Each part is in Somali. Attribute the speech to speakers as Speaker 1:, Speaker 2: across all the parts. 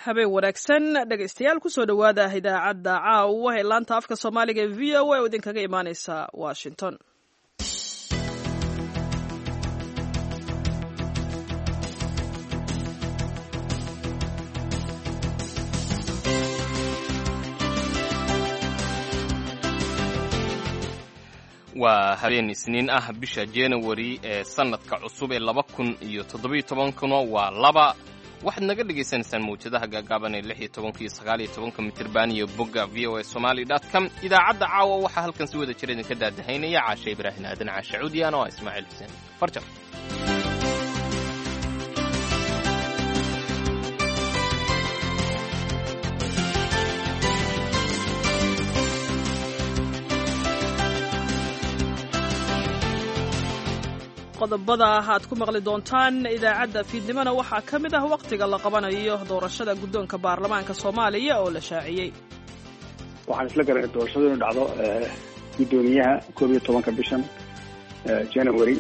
Speaker 1: Habeen wanaagsan, dhegaystayaal. Kusoo dhowaada idaacadda caawa ee laanta afka Soomaaliga ee VOA oo idinkaga imaaneysa Washington.
Speaker 2: Waa habeen Isniin ah, bisha January ee sannadka cusub ee 2017-kuna waa 2. Waxaad naga dhagaysanaysaan mawjadaha gaagaaban ee 16-ka iyo 19-ka mitirban iyo bogga VOA Somali com. Idaacadda caawa waxaa halkan si wada jira idinka daadahaynaya Caashe Ibraahin Aadan, Caashe Cuudiyaan, oo ah Ismaaciil Xuseen Farjar.
Speaker 1: Qodobada aad ku maqli doontaan idaacadda fiidnimona waxaa ka mid ah wakhtiga la qabanayo doorashada guddoonka baarlamaanka Soomaaliya oo la shaaciyey.
Speaker 3: Waxaan isla garanay doorashadu inu dhacdo guddoomiyaha 11-ka bishan January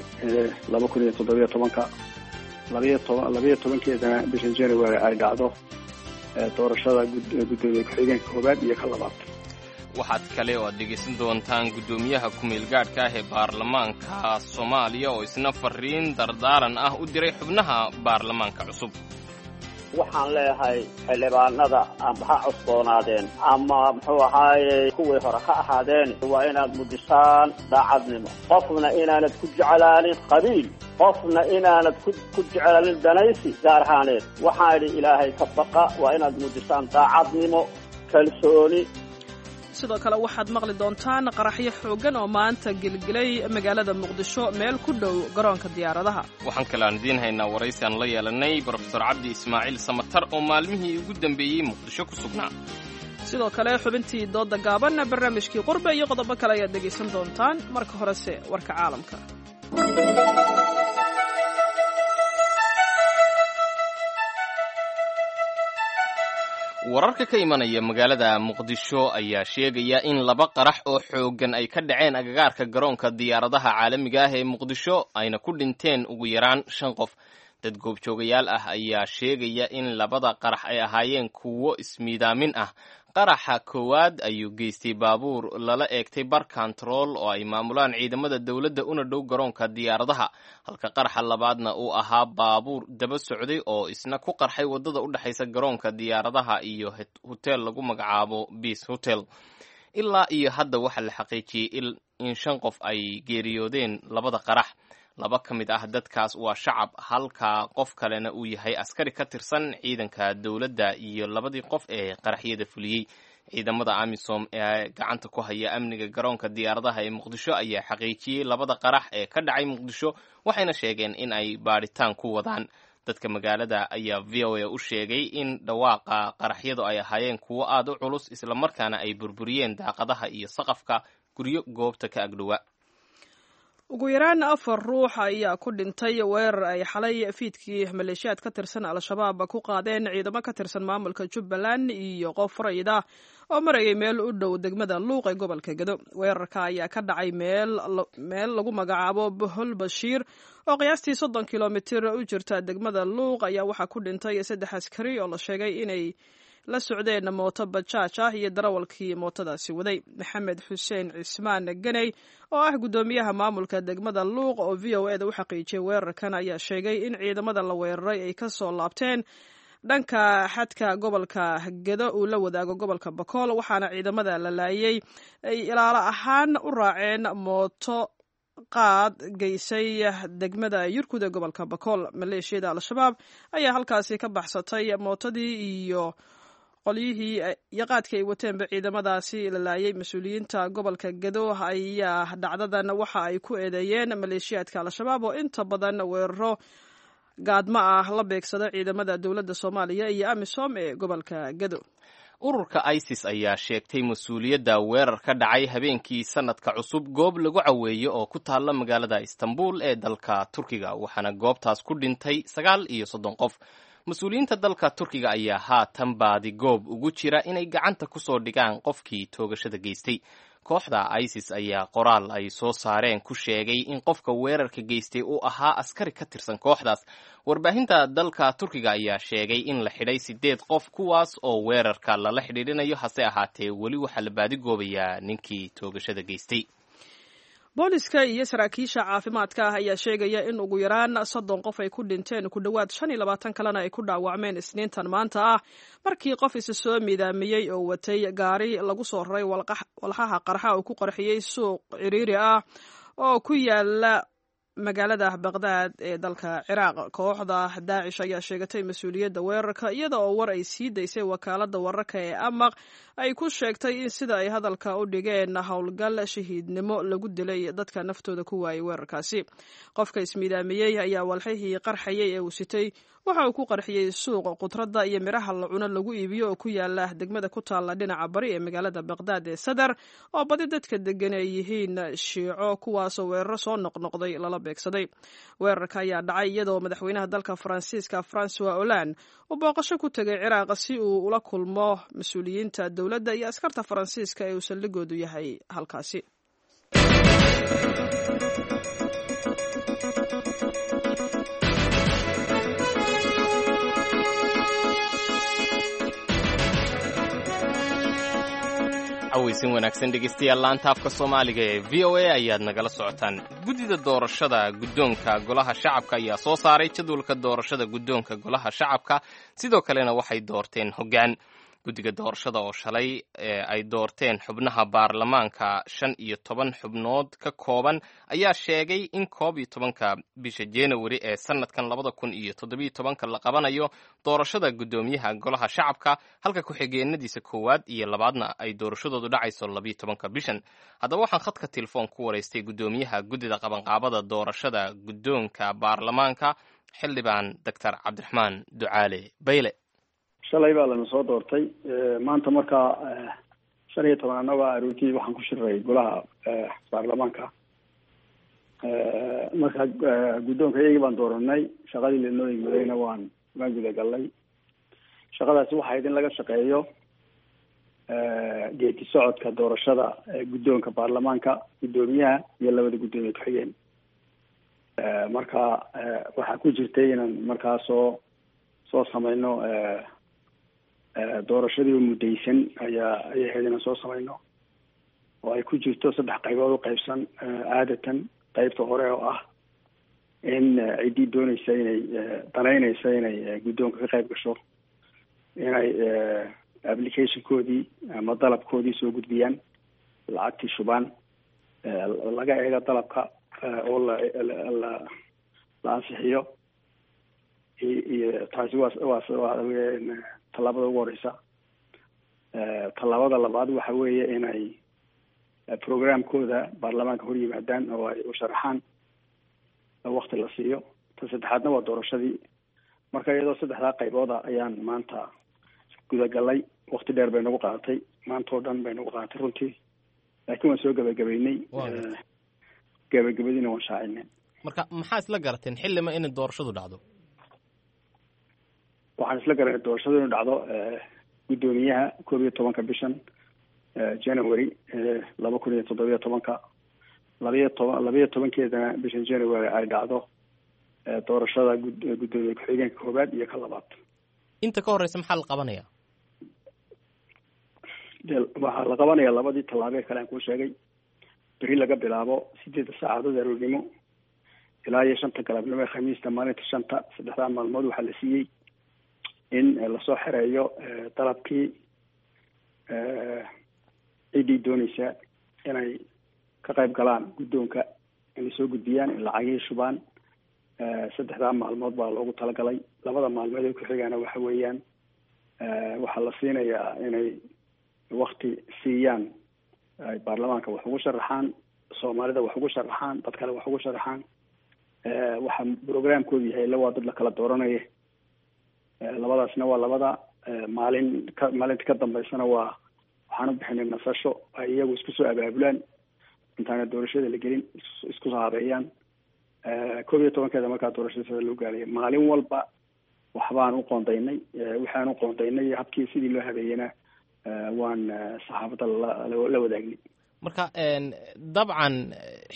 Speaker 3: 2017-ka, 12-keedana bishan January ay dhacdo doorashada guddoomiye ku-xigeenka koowaad iyo ka labaad.
Speaker 2: Waxaad kale oo aad dhegaysan doontaan guddoomiyaha ku-meelgaadhka ah ee baarlamaanka Soomaaliya oo isna fariin dardaaran ah u diray xubnaha baarlamaanka cusub.
Speaker 4: Waxaan leeyahay xildhibaanada amba ha cusboonaadeen ama muxuu ahaaye kuwii hore ha ahaadeen, waa inaad mujisaan daacadnimo, qofna inaanad ku jeclaanin qabiil, qofna inaanad ku jeclaanin danaysi gaar ahaaneed. Waxaan idhi, Ilaahay ka baqa, waa inaad muujisaan daacadnimo, kalsooni.
Speaker 1: Sidoo kale waxaad maqli doontaan qaraxyo xooggan oo maanta gelgelay magaalada Muqdisho, meel ku dhow garoonka diyaaradaha.
Speaker 2: Waxaan kale aan idiin haynaa waraysi aan la yeelanay Brofesor Cabdi Ismaaciil Samatar oo maalmihii ugu dambeeyey Muqdisho ku sugnaa.
Speaker 1: Sidoo kale xubintii dooda gaaban, barnaamijkii qurbe iyo qodobo kale ayaad dhegaysan doontaan. Marka horese warka caalamka.
Speaker 2: Wararka ka imanaya magaalada Muqdisho ayaa sheegaya in laba qarax oo xooggan ay ka dhaceen agagaarka garoonka diyaaradaha caalamiga ah ee Muqdisho, ayna ku dhinteen ugu yaraan shan qof. Dad goobjoogayaal ah ayaa sheegaya in labada qarax ay ahaayeen kuwo ismiidaamin ah. Qaraxa koowaad ayuu geystay baabuur lala eegtay bar kontarool oo ay maamulaan ciidamada dowladda una dhow garoonka diyaaradaha, halka qaraxa labaadna uu ahaa baabuur daba socday oo isna ku qarxay waddada u dhexaysa garoonka diyaaradaha iyo hotel lagu magacaabo Beace Hotel. Ilaa iyo hadda waxaa la xaqiijiyey in shan qof ay geeriyoodeen labada qarax. Laba ka mid ah dadkaas waa shacab, halka qof kalena uu yahay askari ka tirsan ciidanka dowladda iyo labadii qof ee qaraxyada fuliyey. Ciidamada AMISOM ee gacanta ku haya amniga garoonka diyaaradaha ee Muqdisho ayaa xaqiijiyey labada qarax ee ka dhacay Muqdisho, waxayna sheegeen in ay baadhitaan ku wadaan. Dadka magaalada ayaa VOA u sheegay in dhawaaqa qaraxyadu ay ahaayeen kuwo aad u culus, islamarkaana ay burburiyeen daaqadaha iyo saqafka guryo goobta ka agdhowa.
Speaker 1: Ugu yaraan afar ruux ayaa ku dhintay weerar ay xalay fiidkii maleeshiyaad ka tirsan Al-Shabaab ku qaadeen ciidamo ka tirsan maamulka Jubbaland iyo qof rayid ah oo marayay meel u dhow degmada Luuq ee gobolka Gedo. Weerarka ayaa ka dhacay meel lagu magacaabo Bohol Bashiir oo qiyaastii 30 kilomitir u jirta degmada Luuq ayaa waxaa ku dhintay saddex askari oo la sheegay inay la socdeen mooto bajaaj ah iyo darawalkii mootadaasi waday. Maxamed Xuseen Cismaan Ganey oo ah guddoomiyaha maamulka degmada Luuq oo VOA da u xaqiijiyay weerarkan ayaa sheegay in ciidamada la weeraray ay ka soo laabteen dhanka xadka gobolka Gedo uu la wadaago gobolka Bakool, waxaana ciidamada la laayay ay ilaalo ahaan u raaceen mooto qaad geysay degmada Yurkud ee gobolka Bakool. Maleeshiyada Al-Shabaab ayaa halkaasi ka baxsatay mootadii iyo qolyihii iyo qaadkii ay wateenba ciidamadaasi la laayay. Mas-uuliyiinta gobolka Gedo ayaa dhacdadan waxa ay ku eedeeyeen maleeshiyaadka Al-Shabaab oo inta badan weeraro gaadma ah la beegsada ciidamada dowladda Soomaaliya iyo AMISOM ee gobolka Gedo.
Speaker 2: Ururka ISIS ayaa sheegtay mas-uuliyadda weerar ka dhacay habeenkii sanadka cusub goob lagu caweeyo oo ku taalla magaalada Istanbul ee dalka Turkiga, waxaana goobtaas ku dhintay 39 qof. Mas-uuliyiinta dalka Turkiga ayaa haatan baadi goob ugu jira inay gacanta ku soo dhigaan qofkii toogashada geystay. Kooxda ISIS ayaa qoraal ay soo saareen ku sheegay in qofka weerarka geystay uu ahaa askari ka tirsan kooxdaas. Warbaahinta dalka Turkiga ayaa sheegay in la xidhay 8 qof, kuwaas oo weerarka lala xidhiidhinayo. Hase ahaatee weli waxaa la baadigoobayaa ninkii toogashada geystay.
Speaker 1: Booliska iyo saraakiisha caafimaadka ah ayaa sheegaya in ugu yaraan 30 qof ay ku dhinteen, ku dhowaad 25 kalena ay ku dhaawacmeen Isniintan maanta ah, markii qof isa soo miidaamiyey oo watay gaari lagu soo raray walxaha qarxa uu ku qarxiyey suuq ciriiri ah oo ku yaala magaalada Baqdaad ee dalka Ciraaq. Kooxda Daacish ayaa sheegatay mas-uuliyadda weerarka, iyada oo war ay sii daysay wakaaladda wararka ee Amaq ay ku sheegtay in sida ay hadalka u dhigeen howlgal shahiidnimo lagu dilay dadka naftooda ku waayay weerarkaasi. Qofka ismiidaamiyey ayaa walxihii qarxayay ee uu sitay waxa uu ku qarxiyey suuq khudradda iyo midhaha la cuno lagu iibiyo oo ku yaala degmada ku taalla dhinaca bari ee magaalada Baqdaad ee Sadar, oo badi dadka degan ay yihiin Shiico, kuwaasoo weeraro soo noqnoqday lala beegsaday. Weerarka ayaa dhacay iyadoo madaxweynaha dalka Faransiiska Francois Hollande uu booqasho ku tegay Ciraaq si uu ula kulmo mas-uuliyiinta dowladda iyo askarta Faransiiska ee uu saldhigoodu yahay halkaasi.
Speaker 2: Cawaysin wanaagsan dhegeystayaal, laanta afka Soomaaliga ee VOA ayaad nagala socotaan. Guddida doorashada guddoonka golaha shacabka ayaa soo saaray jadwalka doorashada guddoonka golaha shacabka, sidoo kalena waxay doorteen hoggaan. Guddiga doorashada oo shalay ay doorteen xubnaha baarlamaanka 15 xubnood ka kooban ayaa sheegay in 11-ka bisha January ee sanadkan 2017-ka la qabanayo doorashada guddoomiyaha golaha shacabka, halka ku-xigeenadiisa koowaad iyo labaadna ay doorashadoodu dhacayso 12-ka bishan. Haddaba waxaan khadka telefoon ku waraystay guddoomiyaha guddida qabanqaabada doorashada guddoonka baarlamaanka, xildhibaan Doctor Cabdiraxmaan Ducaale Bayle.
Speaker 3: Shalay baa lana soo doortay. Maanta markaa 15 annaga aroortii waxaan ku shiray golaha baarlamaanka. Marka guddoonka iyagii baan dooranay, shaqadii lanoo yimadayna waan gudagalnay. Shaqadaasi waxayd in laga shaqeeyo geedi socodka doorashada guddoonka baarlamaanka, guddoomiyaha iyo labada guddoomiye ku-xigeen. Marka waxaa ku jirtay inaan markaa soo sameyno doorashadii muddaysan ayaa ayay ahayd inaan soo sameyno, oo ay ku jirto saddex qaybood u qaybsan caadatan. Qaybta hore oo ah in ciddii dooneysa inay danaynaysa inay guddoonka ka qayb gasho inay applicationkoodii ama dalabkoodii soo gudbiyaan, lacagtii shubaan, laga eego dalabka oo la la ansixiyo. Iyo taasi waa tallaabada ugu horeysa. Tallaabada labaad waxa weeye inay programkooda baarlamaanka hor yimaadaan oo ay u sharaxaan, wakti la siiyo. Ta saddexaadna waa doorashadii. Marka iyadoo saddexdaa qaybooda ayaan maanta gudagalnay. Wakti dheer bay nagu qaadatay, maanta oo dhan bay nagu qaadatay runtii, laakiin waan soo gabagabaynay, gabagabadiina waan shaacinay.
Speaker 2: Marka maxaa isla garateen xillima inay doorashadu dhacdo?
Speaker 3: Waxaan isla garanay doorashadu inu dhacdo guddoomiyaha 11-ka bishan January 2017-ka, 12-keedana bishan January ay dhacdo doorashada guddoomiye ku-xigeenka koowaad iyo ka labaad.
Speaker 2: Inta ka horeysa maxaa la qabanaya?
Speaker 3: Waxaa la qabanaya labadii tallaabee kale aan kuu sheegay. Beri laga bilaabo 8 saacadood aroornimo ilaa iyo 5 galabnimo ee Khamiista maalinta 5-ta, saddexdaa maalmood waxaa la siiyey in lasoo xereeyo dalabkii ciddii dooneysa inay ka qayb galaan guddoonka, inay soo gudbiyaan, in lacagihii shubaan. Saddexdaa maalmood baa loogu talagalay. Labada maalmood ee ku-xigaana waxa weeyaan waxaa la siinayaa inay wakti siiyaan ay baarlamaanka wax ugu sharaxaan, Soomaalida wax ugu sharaxaan, dad kale wax ugu sharaxaan. Waxa programkoodu yahay ila waa dad la kala dooranaya. Labadaasna waa labada maalin. Ka maalinta ka dambeysana waa waxaan u bixinay nasasho ay iyagu isku soo abaabulaan intaana doorashada la gelin, isku soo habeeyaan. 11-keeda markaa doorashada sida loo gaalaya, maalin walba waxbaan u qoondaynay. Waxaan u qoondaynay habkii sidii loo habeeyena waan saxaafadda la wadaagnay.
Speaker 2: Marka dabcan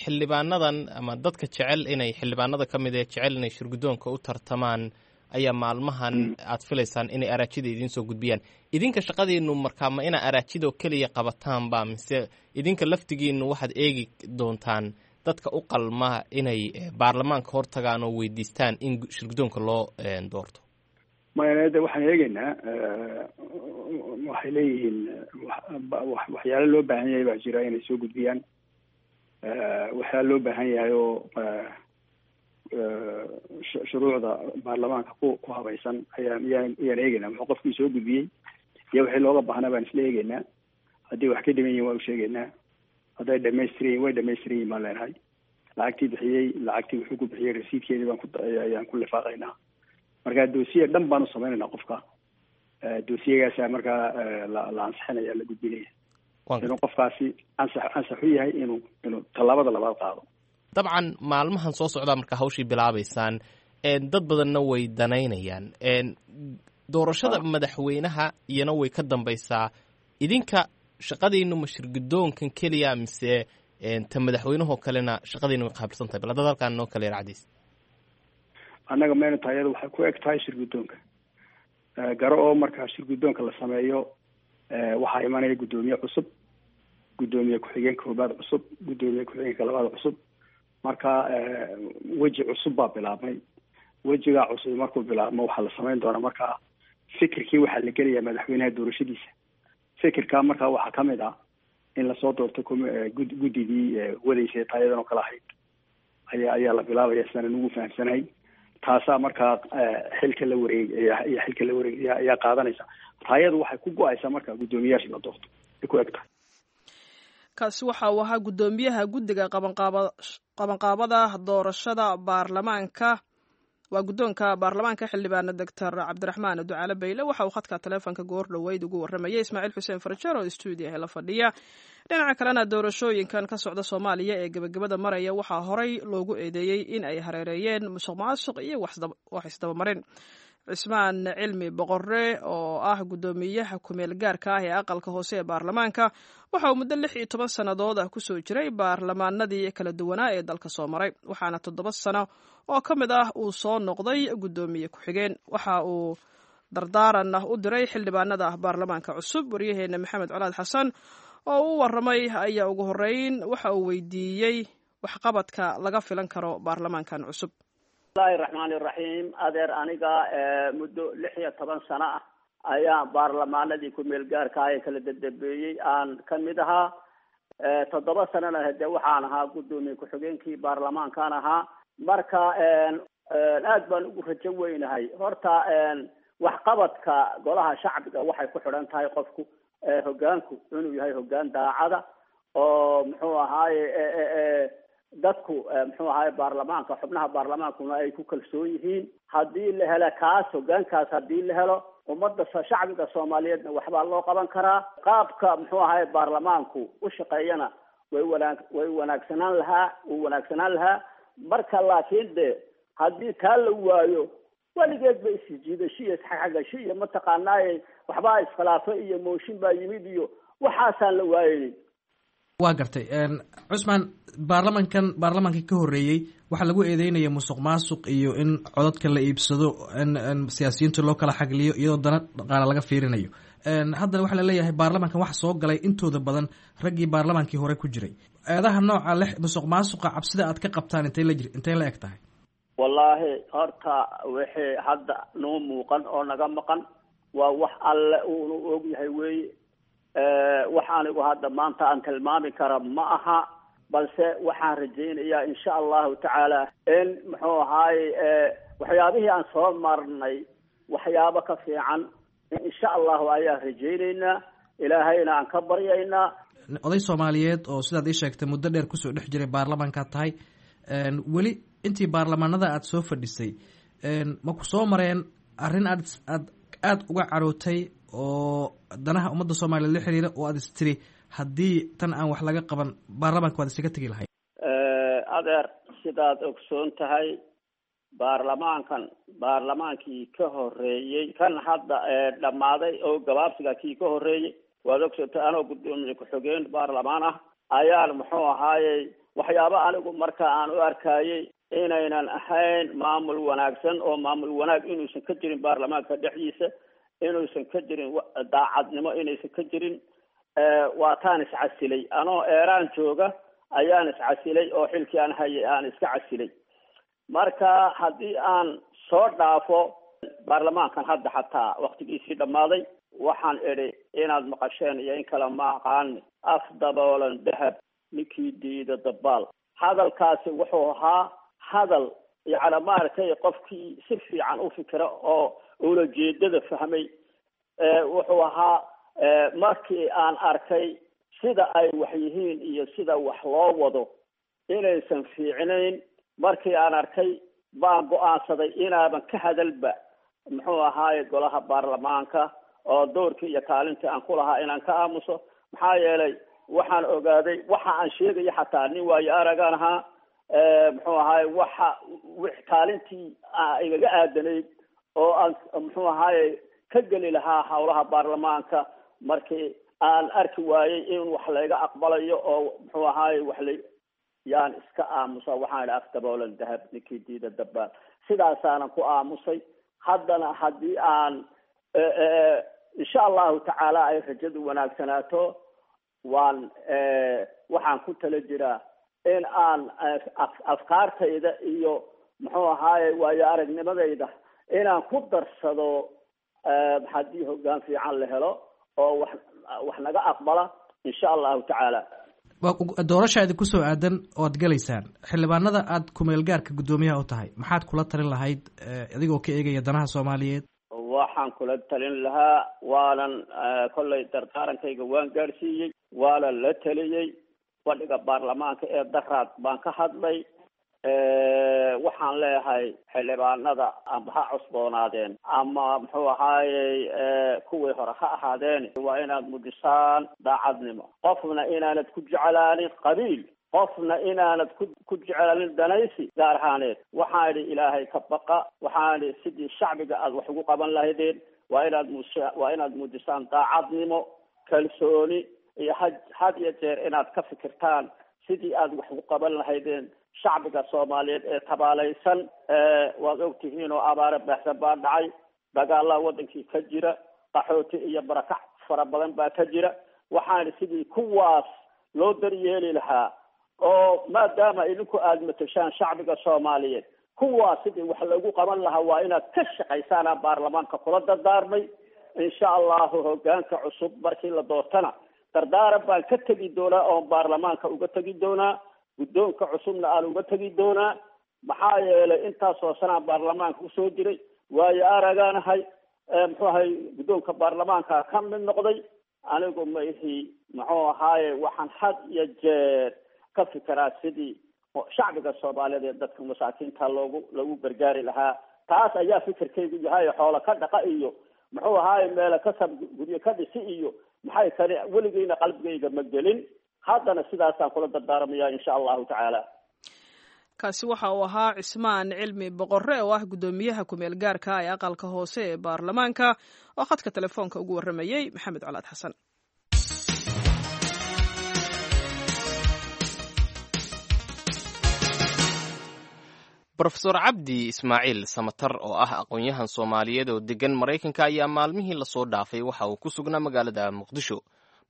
Speaker 2: xildhibaanadan ama dadka jecel inay xildhibaanada ka mid ee jecel inay shirguddoonka u tartamaan ayaa maalmahan aad filaysaan inay araajida idiin soo gudbiyaan. Idinka shaqadiinu markaa ma inaa araajidoo keliya qabataanba, mise idinka laftigiinu waxaad eegi doontaan dadka u qalma inay baarlamaanka hortagaan oo weydiistaan in shirguddoonka loo doorto?
Speaker 3: Maya, de waxaan eegeynaa, waxay leeyihiin waxyaalo loo baahan yahay baa jira inay soo gudbiyaan, waxyaalo loo baahan yahay oo shuruucda baarlamaanka ku habaysan ayaan ayaan ayaan eegeynaa. Muxuu qofkii soo gudbiyey iyo wixii looga baahnaa baan isla eegeynaa. Haddii wax ka dhiman yihin waa u sheegeynaa, hadday dhamaystiran yihin way dhamaystiran yihin baan leenahay. Lacagtii bixiyey, lacagtii wuxuu ku bixiyey rasiidkeedii baan ku ayaan ku lifaaqaynaa. Marka dossier dhan baan u sameynaynaa qofka, dossiyegaasaa markaa la ansixinaya, la gudbinaya inuu qofkaasi ansax u yahay inuu tallaabada labaad qaado.
Speaker 2: Dabcan maalmahan soo socdaa markaa hawshii bilaabaysaan, dad badanna way danaynayaan doorashada madaxweynaha, iyana way ka dambaysaa. Idinka shaqadiinu ma shirguddoonkan keliya mise ta madaxweynahoo kalena shaqadiinu way qaabilsan tahay? Bal haddaad halkaan noo kale yar cadiis.
Speaker 3: Annaga mayna tahay, iyada waxay ku eg tahay shirguddoonka garo oo markaa shirguddoonka la sameeyo waxaa imanaya guddoomiye cusub, guddoomiye ku-xigeenka koobaad cusub, guddoomiye ku-xigeenka labaad cusub. Marka weji cusub baa bilaabmay. Wejigaa cusub markuu bilaabmo waxaa la samayn doonaa markaa fikirkii waxaa la gelayaa madaxweynaha doorashadiisa. Fikirkaa markaa waxaa kamid ah in lasoo doorto guddidii wadaysay taayadan oo kale ahayd ayaa la bilaabaya, sidaan ugu fahamsanahay. Taasaa markaa xilka la wareeg iyo xilka la wareeg ayaa qaadanaysa. Taayadu waxay ku go-aysaa marka guddoomiyaasha la doorto ay ku eg tahay.
Speaker 1: Kaasi waxa uu ahaa guddoomiyaha guddiga qabanqaabada doorashada baarlamaanka, waa guddoonka baarlamaanka, xildhibaana Doctor Cabdiraxmaan Ducaale Bayle. Waxa uu khadka taleefonka goor dhoweyd ugu warramayay Ismaaciil Xuseen Farjeer oo stuudiyaha la fadhiya. Dhinaca kalena, doorashooyinkan ka socda Soomaaliya ee gebagabada maraya waxaa horey loogu eedeeyey in ay hareereeyeen musuq maasuq iyo wax isdabamarin. Cismaan Cilmi Boqore oo ah guddoomiyaha kumeel gaarka ah ee aqalka hoose ee baarlamaanka waxa uu muddo 16 sannadood ah kusoo jiray baarlamaanadii kala duwanaa ee dalka soo maray, waxaana 7 sano oo ka mid ah uu soo noqday guddoomiye ku-xigeen. Waxa uu dardaaran u diray xildhibaanada baarlamaanka cusub. Waryaheena Maxamed Colaad Xasan oo u waramay ayaa ugu horeyn waxa uu weydiiyey waxqabadka laga filan karo baarlamaankan cusub.
Speaker 4: Bismillahi raxmaani raxiim. Adeer, aniga muddo 16 sano ah ayaan baarlamaanadii ku-meel gaarka ah ee kala dadambeeyey aan kamid ahaa. 7 sanona hade waxaan ahaa guddoomiye ku-xigeenkii baarlamaankaan ahaa. Marka aad baan ugu rajo weynahay. Horta waxqabadka golaha shacbiga waxay ku xidhan tahay qofku hogaanku inuu yahay hogaan daacada oo muxuu ahaaye dadku muxuu ahaaye baarlamaanka, xubnaha baarlamaankuna ay ku kalsoon yihiin. Haddii la helo kaas, hogaankaas haddii la helo, ummadda shacbiga Soomaaliyeedna waxbaa loo qaban karaa. Qaabka muxuu ahaaye baarlamaanku u shaqeeyana way wanaagsanaan lahaa, wuu wanaagsanaan lahaa. Marka laakiin de haddii taa la waayo, weligeed ba isjiidasho iyo isxagxagasho iyo mataqaanaaye waxbaa iskhilaafo iyo mooshin baa yimid iyo waxaasaan la waayeynin.
Speaker 5: Waa gartay, Cusmaan. Baarlamankan baarlamaankii ka horreeyey waxaa lagu eedeynaya musuq maasuq iyo in codadka la iibsado, in siyaasiyiinta loo kala xagliyo iyadoo dana dhaqaale laga fiirinayo. Haddana waxaa laleeyahay baarlamankan waxa soo galay intooda badan raggii baarlamaankii hore ku jiray. Eedaha nooca le musuq maasuqa, cabsida aad ka qabtaan intay la eg tahay?
Speaker 4: Wallaahi horta wixii hadda noo muuqan oo naga maqan waa wax alle uunu og yahay weeye. Wax anigu hadda maanta aan tilmaami kara ma aha, balse waxaan rajaynayaa insha allahu tacaala in muxuu ahaaye waxyaabihii aan soo marnay waxyaabo ka fiican insha allahu ayaan rajaynaynaa, Ilaahayna aan ka baryaynaa.
Speaker 5: Oday Soomaaliyeed oo sidaad ii sheegtay muddo dheer kusoo dhex jiray baarlamaankaad tahay, weli intii baarlamaanada aada soo fadhisay ma ku soo mareen arrin aad aada uga carootay oo danaha ummadda Soomaaliyeed la xiriira oo aada istiri haddii tan aan wax laga qaban baarlamaanka waad isaga tegi lahayd?
Speaker 4: Adeer, sidaad ogsoon tahay, baarlamaankan baarlamaankii ka horreeyey kan hadda dhammaaday oo gabaabsiga kii ka horreeyey, waad ogsoontahay anoo guddoomiye ku-xigeen baarlamaan ah Ayaan muxuu ahaayey waxyaaba anigu marka aan u arkayey inaynan ahayn maamul wanaagsan, oo maamul wanaag inuusan ka jirin baarlamaanka dhexdiisa, inuusan ka jirin daacadnimo, inaysan ka jirin. Waa taan iscasilay anoo Eeraan jooga ayaan iscasilay, oo xilkii aan hayay aan iska casilay. Marka haddii aan soo dhaafo baarlamaankan hadda xataa waktigiisii dhammaaday, waxaan idhi inaad maqasheen iyo in kale ma aqaani, af daboolan dahab ninkii diida dabaal. Hadalkaasi wuxuu ahaa hadal yacni maaragtay qofkii si fiican u fikira oo ulajeedada fahmay. Wuxuu ahaa markii aan arkay sida ay wax yihiin iyo sida wax loo wado inaysan fiicnayn, markii aan arkay baan go-aansaday inaaban ka hadalba muxuu ahaaye golaha baarlamaanka, oo doorkii iyo kaalintii aan ku lahaa inaan ka aamuso. Maxaa yeelay waxaan ogaaday waxa aan sheegayo, xataa nin waayo aragaan ahaa, muxuu ahaaye waxa kaalintii igaga aadanayd oo aan muxuu ahaaye ka geli lahaa howlaha baarlamaanka, markii aan arki waayey in wax layga aqbalayo oo muxuu ahaaye wax la yaan iska aamusa. Waxaan idhi afdaboolan dahab ninkii diida dabaal. Sidaasaanan ku aamusay. Haddana haddii aan insha Allahu tacaala ay rajadu wanaagsanaato, waan waxaan ku tala jiraa in aan afkaartayda iyo muxuu ahaaye waayo aragnimadayda inaan ku darsado haddii hoggaan fiican la helo oo wax naga aqbala insha Allahu tacaala.
Speaker 5: Doorasha idin kusoo aadan oo ad galaysaan, xildhibaanada aad kumeel gaarka guddoomiyaha u tahay, maxaad kula talin lahayd adigoo ka eegaya danaha Soomaaliyeed?
Speaker 4: Waxaan kula talin lahaa, waanan kollay dardaarankayga waan gaadhsiiyey, waanan la taliyey. Fadhiga baarlamaanka ee daraad baan ka hadlay. Waxaan leeyahay xildhibaanada amba ha cusboonaadeen ama muxuu ahaayey kuwii hore ha ahaadeen, waa inaad muujisaan daacadnimo. Qofna inaanad ku jeclaanin qabiil, qofna inaanad ku jeclaanin danaysi gaar ahaaneed. Waxaan idhi Ilaahay ka baqa. Waxaan idhi sidii shacbiga aad wax ugu qaban lahaydeen waa inaad muujisaan daacadnimo, kalsooni iyo had iyo jeer inaad ka fikirtaan sidii aad wax ugu qaban lahaydeen shacbiga Soomaaliyeed ee tabaalaysan. Waad ogtihiin oo abaare baahsan baa dhacay, dagaalaa wadankii ka jira, qaxooti iyo barakac fara badan baa ka jira. Waxaan sidii kuwaas loo daryeeli lahaa, oo maadaama idinku aada matashaan shacbiga Soomaaliyeed, kuwaas sidii wax lagu qaban lahaa waa inaad ka shaqaysaanaa baarlamaanka kula dardaarmay. Insha Allahu hogaanka cusub markii la doortana dardaaran baan ka tegi doonaa, oon baarlamaanka uga tegi doonaa, guddoonka cusubna aan uga tegi doonaa. Maxaa yeelay intaasoo sanaan baarlamaanka usoo jiray, waayo aragaanahay, muxuu ahay guddoonka baarlamaanka ka mid noqday. Anigu ma ihi muxuu ahaaye waxaan had iyo jeer ka fikiraa sidii shacbiga Soomaaliyeed ee dadka masaakiinta loogu gargaari lahaa. Taas ayaa fikirkaygu yahay. Xoolo ka dhaqa iyo muxuu ahaaye meelo ka sab guryo ka dhisi iyo maxay kani weligeyna qalbigayga ma gelin. Haddana sidaasaan kula dardaarmaya insha Allahu tacaala.
Speaker 1: Kaasi waxa uu ahaa Cismaan Cilmi Boqorre, oo ah guddoomiyaha kumeel gaarka ee aqalka hoose ee baarlamaanka, oo khadka telefoonka ugu warramayey Maxamed Colaad Xasan.
Speaker 2: Brofesor Cabdi Ismaaciil Samatar, oo ah aqoon-yahan Soomaaliyeed oo degan Maraykanka, ayaa maalmihii lasoo dhaafay waxa uu ku sugnaa magaalada Muqdisho.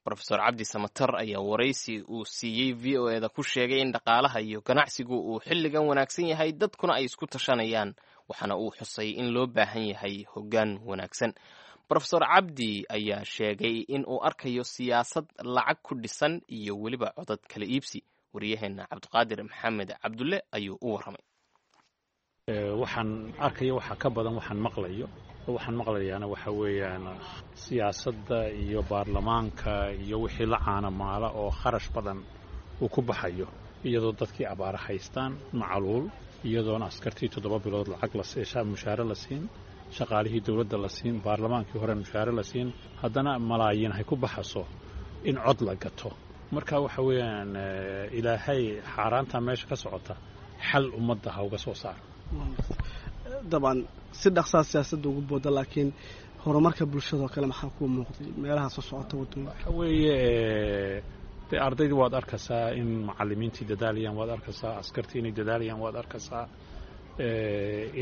Speaker 2: Brofesor Cabdi Samatar ayaa waraysi uu siiyey VOA da ku sheegay in dhaqaalaha iyo ganacsigu uu xilligan wanaagsan yahay, dadkuna ay isku tashanayaan, waxaana uu xusay in loo baahan yahay hoggaan wanaagsan. Brofesor Cabdi ayaa sheegay in uu arkayo siyaasad lacag ku dhisan iyo weliba codad kala iibsi. Wariyaheenna Cabdiqaadir Maxamed Cabdulle ayuu u warramay.
Speaker 6: Waxaan arkayo waxaa ka badan waxaan maqlayo. Waxaan maqlayaana waxa weeyaan siyaasadda iyo baarlamaanka iyo wixii la caanamaala oo kharash badan uu ku baxayo, iyadoo dadkii abaara haystaan, macaluul, iyadoona askartii 7 bilood lacag la mushaare la siin, shaqaalihii dowladda la siin, baarlamaankii hore mushaare la siin, haddana malaayiin hay ku baxaso in cod la gato. Marka waxa weeyaan Ilaahay xaaraantaa meesha ka socota xal ummadda ha uga soo saaro.
Speaker 7: Dabcan si dhaqsaa siyaasadda ugu booda, laakiin horumarka bulshadoo kale maxaa kuu muuqday meelaha soo socota waddooyinka?
Speaker 6: Waxa weeye Dee ardaydii waad arkaysaa in macallimiintii dadaalayaan, waad arkaysaa askartii inay dadaalayaan, waad arkaysaa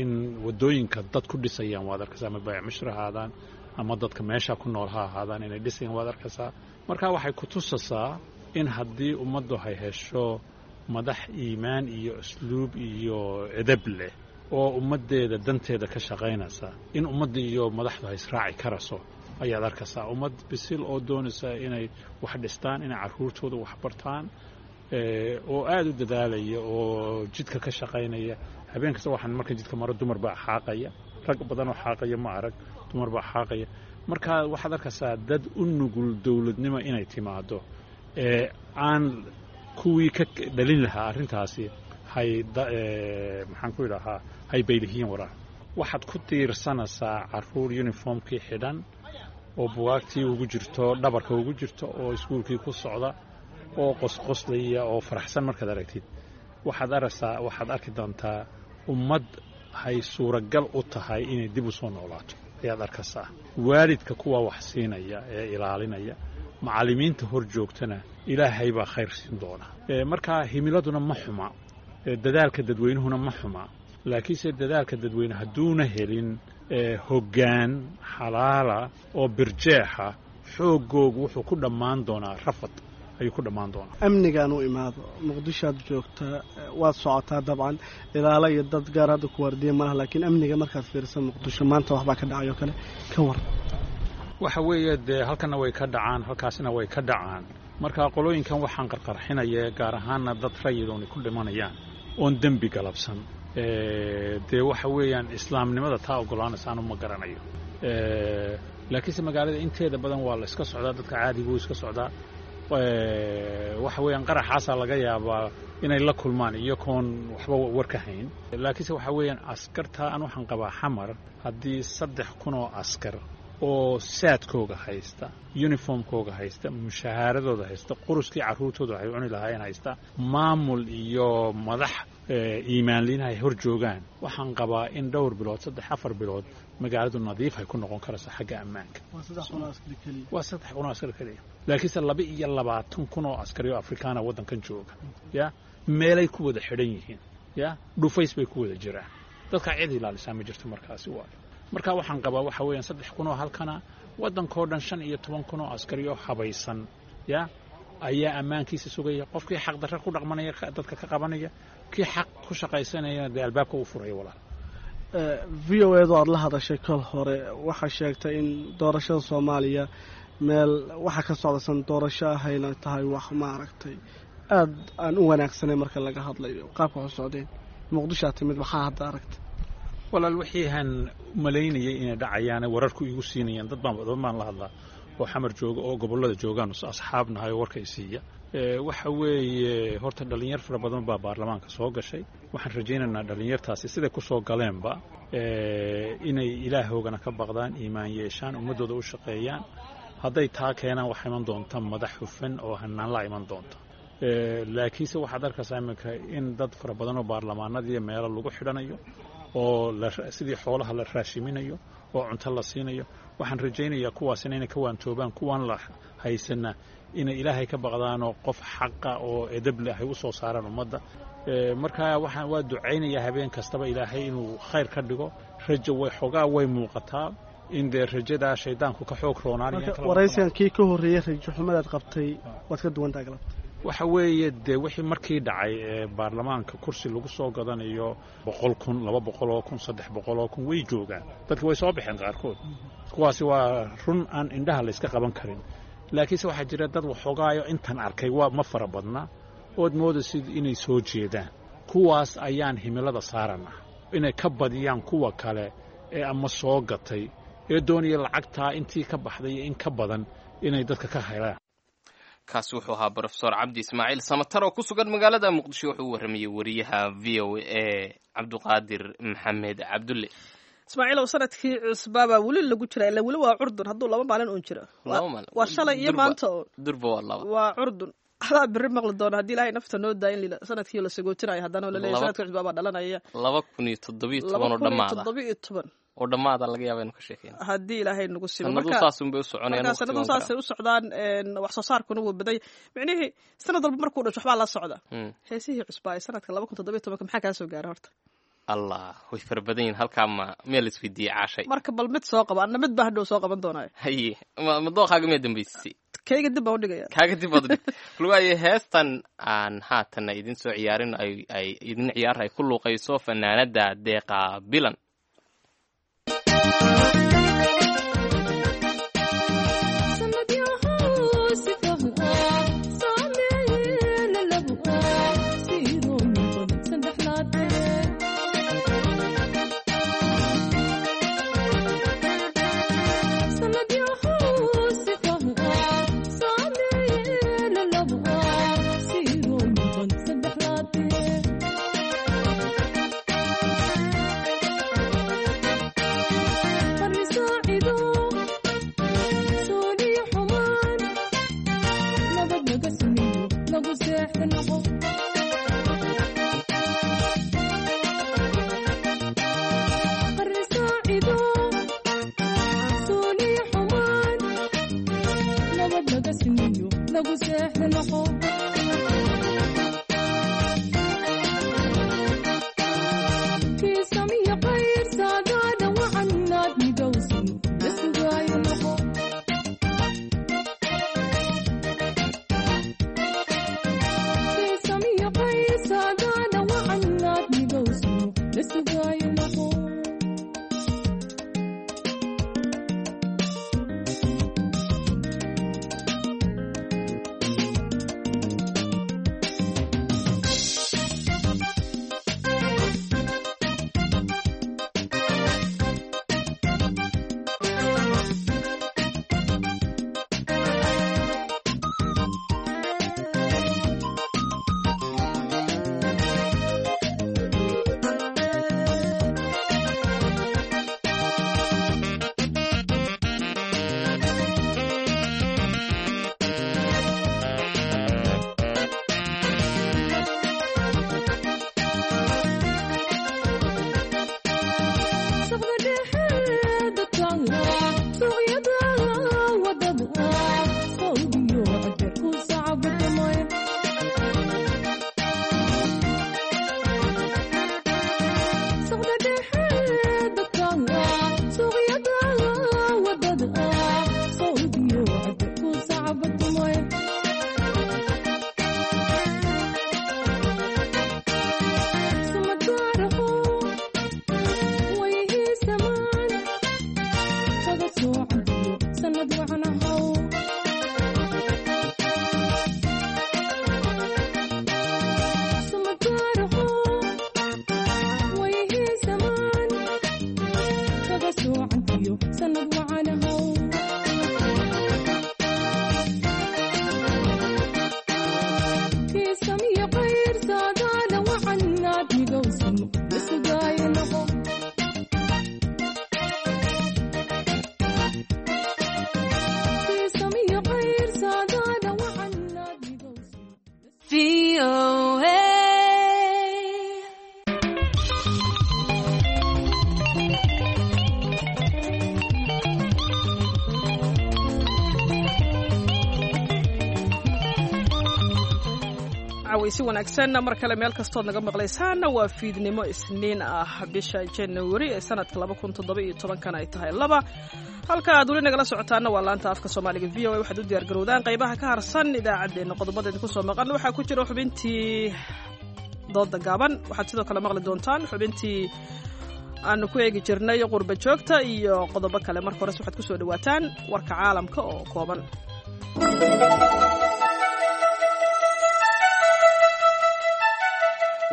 Speaker 6: in waddooyinka dad ku dhisayaan, waad arkaysaa ama baayac mushri ahaadaan ama dadka meesha ku nool ha ahaadaan inay dhisayaan, waad arkaysaa. Marka waxay ku tusasaa in haddii ummaddu hay hesho madax iimaan iyo usluub iyo edab leh oo ummaddeeda danteeda ka shaqaynaysa, in ummadda iyo madaxdu hay israaci karaso ayaad arkaysaa. Ummad bisil oo doonaysa inay wax dhistaan, inay carruurtooda wax bartaan, oo aada u dadaalaya oo jidka ka shaqaynaya. Habeen kasta waxaan marka jidka maro dumar baa xaaqaya, rag badanoo xaaqaya ma arag, dumar baa xaaqaya. Marka waxaad arkaysaa dad u nugul dowladnimo inay timaado ee aan kuwii ka dhalin lahaa arrintaasi hay, maxaan ku idhahaa, hay baylihiin waraa. Waxaad ku tiirsanaysaa carruur uniformkii xidhan oo bugaagtii ugu jirto, dhabarka ugu jirto, oo iskuulkii ku socda oo qosqoslaya oo faraxsan. Markaad aragtid waxaad aragsaa, waxaad arki doontaa ummad hay suuragal u tahay inay dib u soo noolaato ayaad arkaysaa. Waalidka kuwa wax siinaya ee ilaalinaya, macallimiinta hor joogtana, Ilaahay baa khayr siin doona. Marka himiladuna ma xuma, dadaalka dadweynuhuna ma xuma, laakiinse dadaalka dadweyne hadduuna helin hoggaan xalaala oo birjeexa, xooggoogu wuxuu ku dhammaan doonaa rafad ayuu ku dhammaan doonaa.
Speaker 7: Amnigaan u imaado, Muqdishoaad joogtaa, waad socotaa, dabcan ilaalo iyo dad gaar hadda ku waardiya malaha, laakiin amniga markaad fiirsa Muqdisho maanta waxbaa ka dhacay oo kale, ka war?
Speaker 6: Waxa weeye dee halkanna way ka dhacaan, halkaasna way ka dhacaan. Marka qolooyinkan waxaan qarqarxinaya, gaar ahaana dad rayidoon ku dhimanayaan oon dembi galabsan, dee waxa weeyaan islaamnimada taa oggolaanaysa anu ma garanayo. Laakiinse magaalada inteeda badan waa la iska socdaa, dadka caadigu iska socdaa. Waxa weeyaan qaraxaasaa laga yaabaa inay la kulmaan iyagoon waxba war ka hayn. Laakiinse waxa weeyaan askarta an waxaan qabaa Xamar haddii 3000 oo askar oo saadkooga haysta, uniformkooga haysta, mushahaaradooda haysta, quruskii carruurtooda waxay cuni lahaayeen haysta, maamul iyo madax iimaanliin ay hor joogaan, waxaan qabaa in dhowr bilood, 3, 4 bilood magaaladu nadiif ay ku noqon karayso xagga ammaanka. Waa 3000 oo askar keliya, laakiinse 22,000 oo askari oo Afrikaana waddankan jooga ya meelay ku wada xidhan yihiin, ya dhufays bay ku wada jiraan, dadkaa cid ilaalisaa ma jirto. Markaasi waayo marka waxaan qabaa waxa weeyaan 3000 oo halkana, waddankoo dhan 15,000 oo askari oo habaysan ya ayaa ammaankiisa sugaya, qofkii xaq darre ku dhaqmanaya dadka ka qabanaya, kii xaq ku shaqaysanayana dee albaabka u furaya, walaal.
Speaker 7: V O edu aada la hadashay kol hore waxaa sheegtay in doorashada Soomaaliya meel waxa ka socdasan doorasho ahayna tahay wax maaragtay aada aan u wanaagsanay marka laga hadlayo qaabka wax u socdeen. Muqdishoa timid, maxaa hadda aragtay?
Speaker 6: Walaal, wixii aan malaynayay inay dhacayaane wararku igu siinayaan, dad baan la hadlaa oo Xamar jooga oo gobollada joogaan, asxaabnahay oo warka i siiya. Waxa weeye horta dhallinyar fara badan baa baarlamaanka soo gashay. Waxaan rajaynaynaa dhallinyartaasi siday ku soo galeenba inay Ilaahoogana ka baqdaan, iimaan yeeshaan, ummaddooda u shaqeeyaan. Hadday taa keenaan waxaa iman doonta madax hufan oo hanaan la iman doonta. Laakiinse waxaad arkaysaa iminka in dad fara badan oo baarlamaanadii meelo lagu xidhanayo oo sidii xoolaha la raashiminayo oo cunto la siinayo. Waxaan rajaynayaa kuwaasina inay ka waantoobaan, kuwaan la haysana inay Ilaahay ka baqdaanoo qof xaqa oo edab leh ay u soo saaraan ummadda. Marka waxaan waa ducaynayaa habeen kastaba Ilaahay inuu khayr ka dhigo. Rajo way xoogaa way muuqataa in dee rajadaa shaydaanku ka xoog roonaanaya.
Speaker 7: Waraysigan kii ka horreeyey rajo xumadaad qabtay waad ka duwantaa galabta.
Speaker 6: Waxa weeye dee wixii markii dhacay ee baarlamaanka kursi lagu soo gadanayo 100,000, 200,000, 300,000 way joogaan, dadki way soo baxeen qaarkood. Kuwaasi waa run aan indhaha layska qaban karin. Laakiinse waxaa jira dad waxoogaayo intan arkay waa ma fara badna ood moodaysid inay soo jeedaan. Kuwaas ayaan himilada saarana inay ka badiyaan kuwa kale ee ama soo gatay ee doonaya lacagtaa intii ka baxday iyo in ka badan inay dadka ka helaan.
Speaker 2: Kaasi wuxuu ahaa Brofesor Cabdi Ismaaciil Samatar oo ku sugan magaalada Muqdisho. Wuxuu u warramayey wariyaha V O A Cabduqaadir Maxamed Cabdulle.
Speaker 1: Ismaaciilow, sanadkii cusbaabaa weli lagu jira, ila weli waa curdun. Hadduu 2 maalin uun jiro, waa shalay iyo maanta uun.
Speaker 2: Durba waa laba.
Speaker 1: Waa curdun. Adaa beri maqli doona haddii Ilaahay nafta noo daa in sanadkii la sagootinayo haddana oo laleeyahy sanadkii cusbaabaa dhalanaya.
Speaker 2: 2017 oo dhammaada.
Speaker 1: 2017.
Speaker 2: Oo dhammaada laga yaaba inu ka sheekeyna
Speaker 1: haddii Ilaahay nagu simo.
Speaker 2: Sanadu saasun bay u soconayaan.
Speaker 1: Marka sanadu saasay u socdaan, wax soo saarkuna wuu baday. Micnihii sanad walba markuu dhasho waxbaa la socda. Heesihii cusbaa ee sanadka 2017 maxaa kaa soo gaara horta?
Speaker 2: Allah, way fara badan yihin. Halkaa ma meel isweydiiyey, Caashay?
Speaker 1: Marka bal mid soo qaba, anna mid baa hadhow soo qaban doonaayo.
Speaker 2: Haye, ma dooqaaga miyaa dambeysisay?
Speaker 1: Kayga dib baan udhigaya.
Speaker 2: Kaaga dib baad udhig. Bal waayo, heestan aan haatanna idin soo ciyaarin, ay idin ciyaar ay ku luuqayso fanaanada Deeqa Bilan.
Speaker 1: Si wanaagsan mar kale meel kastood naga maqlaysaana, waa fiidnimo Isniin ah, bisha Januari ee sanadka 2017-kan ay tahay 2. Halka aad weli nagala socotaana waa laanta afka Soomaaliga VOA. Waxaad u diyaar garowdaan qaybaha ka harsan idaacaddeenna. Qodobada idinku soo maqan waxaa ku jira xubintii dooda gaaban. Waxaad sidoo kale maqli doontaan xubintii aanu ku eegi jirnay qurba joogta iyo qodobo kale. Marka hores waxaad kusoo dhawaataan warka caalamka oo kooban.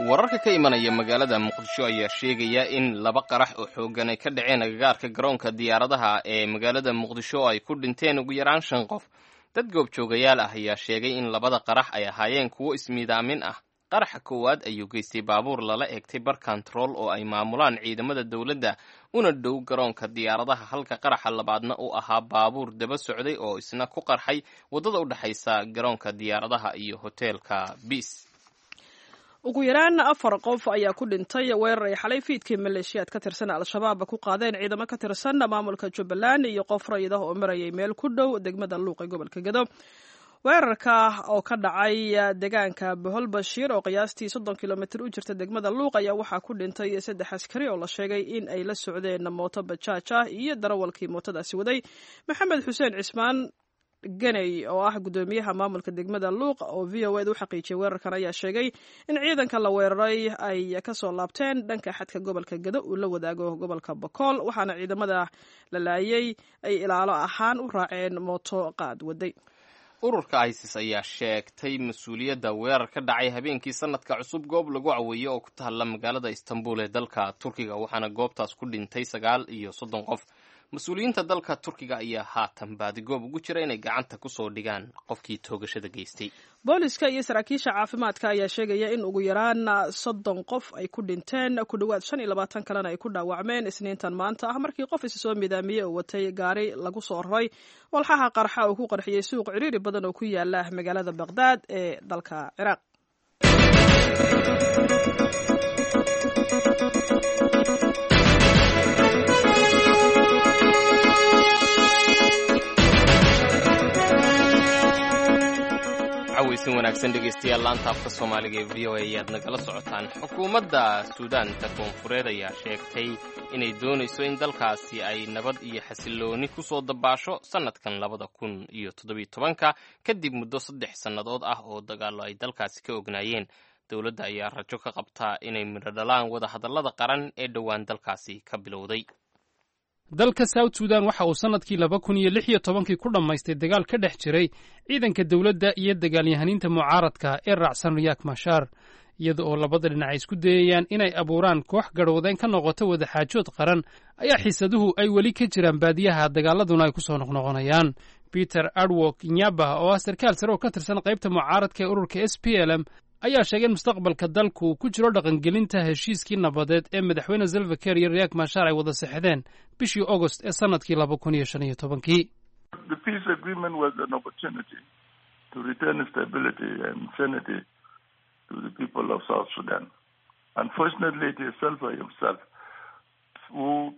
Speaker 2: Wararka ka imanaya magaalada Muqdisho ayaa sheegaya in laba qarax oo xooggan ay ka dhaceen agagaarka garoonka diyaaradaha ee magaalada Muqdisho oo ay ku dhinteen ugu yaraan shan qof. Dad goobjoogayaal ah ayaa sheegay in labada qarax ay ahaayeen kuwo ismiidaamin ah. Qaraxa koowaad ayuu geystay baabuur lala eegtay bar kontarool oo ay maamulaan ciidamada dowladda una dhow garoonka diyaaradaha, halka qaraxa labaadna uu ahaa baabuur daba socday oo isna ku qarxay waddada u dhexaysa garoonka diyaaradaha iyo hoteelka Biis.
Speaker 1: Ugu yaraan 4 qof ayaa ku dhintay weerar ay xalay fiidkii maleeshiyaad ka tirsan Al-Shabaab ku qaadeen ciidamo ka tirsan maamulka Jubbaland iyo qof rayid ah oo marayay meel ku dhow degmada Luuq ee gobolka Gedo. Weerarka oo ka dhacay deegaanka Bohol Bashiir oo qiyaastii 30 kilomitir u jirta degmada Luuq ayaa waxaa ku dhintay 3 askari oo la sheegay in ay la socdeen mooto bajaaj ah iyo darawalkii mootadaasi waday. Maxamed Xuseen Cismaan Ganey oo ah guddoomiyaha maamulka degmada Luuq oo v o ed u xaqiijiyay weerarkan ayaa sheegay in ciidanka la weeraray ay kasoo laabteen dhanka xadka gobolka Gedo uu la wadaago gobolka Bakool, waxaana ciidamada la laayay ay ilaalo ahaan u raaceen mooto qaad waday.
Speaker 2: Ururka ISIS ayaa sheegtay mas-uuliyadda weerar ka dhacay habeenkii sanadka cusub goob lagu caweeyo oo ku taalla magaalada Istanbul ee dalka Turkiga, waxaana goobtaas ku dhintay 39 qof. Mas-uuliyiinta dalka Turkiga ayaa haatan baadigoob ugu jira inay gacanta kusoo dhigaan qofkii toogashada geystay.
Speaker 1: Booliska iyo saraakiisha caafimaadka ayaa sheegaya in ugu yaraan 30 qof ay ku dhinteen, ku dhowaad 25 kalena ay ku dhaawacmeen Isniintan maanta ah markii qof isa soo midaamiyey oo watay gaari lagu soo raray walxaha qarxa uu ku qarxiyey suuq ciriiri badan oo ku yaala magaalada Baqhdaad ee dalka Ciraaq.
Speaker 2: Cawaysin wanaagsan dhegeystayaal, laanta afka Soomaaliga ee v o a ayaad nagala socotaan. Xukuumadda Suudaanta Koonfureed ayaa sheegtay inay doonayso in dalkaasi ay nabad iyo xasillooni ku soo dabaasho sannadkan 2017-ka kadib muddo 3 sannadood ah oo dagaallo ay dalkaasi ka ognaayeen. Dowladda ayaa rajo ka qabtaa inay midho dhalaan wadahadallada qaran ee dhowaan dalkaasi ka bilowday.
Speaker 8: Dalka South Sudan waxa uu sannadkii 2016-kii ku dhammaystay dagaal ka dhex jiray ciidanka dowladda iyo dagaalyahaniinta mucaaradka ee raacsan Riyaak Mashaar, iyada oo labada dhinac ay isku dayayaan inay abuuraan koox garhwadeen ka noqota wadaxaajood qaran ayaa xiisaduhu ay weli ka jiraan baadiyaha, dagaaladuna ay ku soo noqnoqonayaan. Peter Adwok Nyaba oo ah sarkaal sare oo ka tirsan qaybta mucaaradka ee ururka s p l m ayaa sheegay in mustaqbalka dalku uu ku jiro dhaqangelinta heshiiskii nabadeed ee madaxweyne Salva Kiir iyo Riyaak Mashaar ay wada sexdeen bishii Ogost ee sannadkii 2015-kii.
Speaker 9: The peace agreement was an opportunity to return stability and sanity to the people of South Sudan. Unfortunately, it is Salva himself who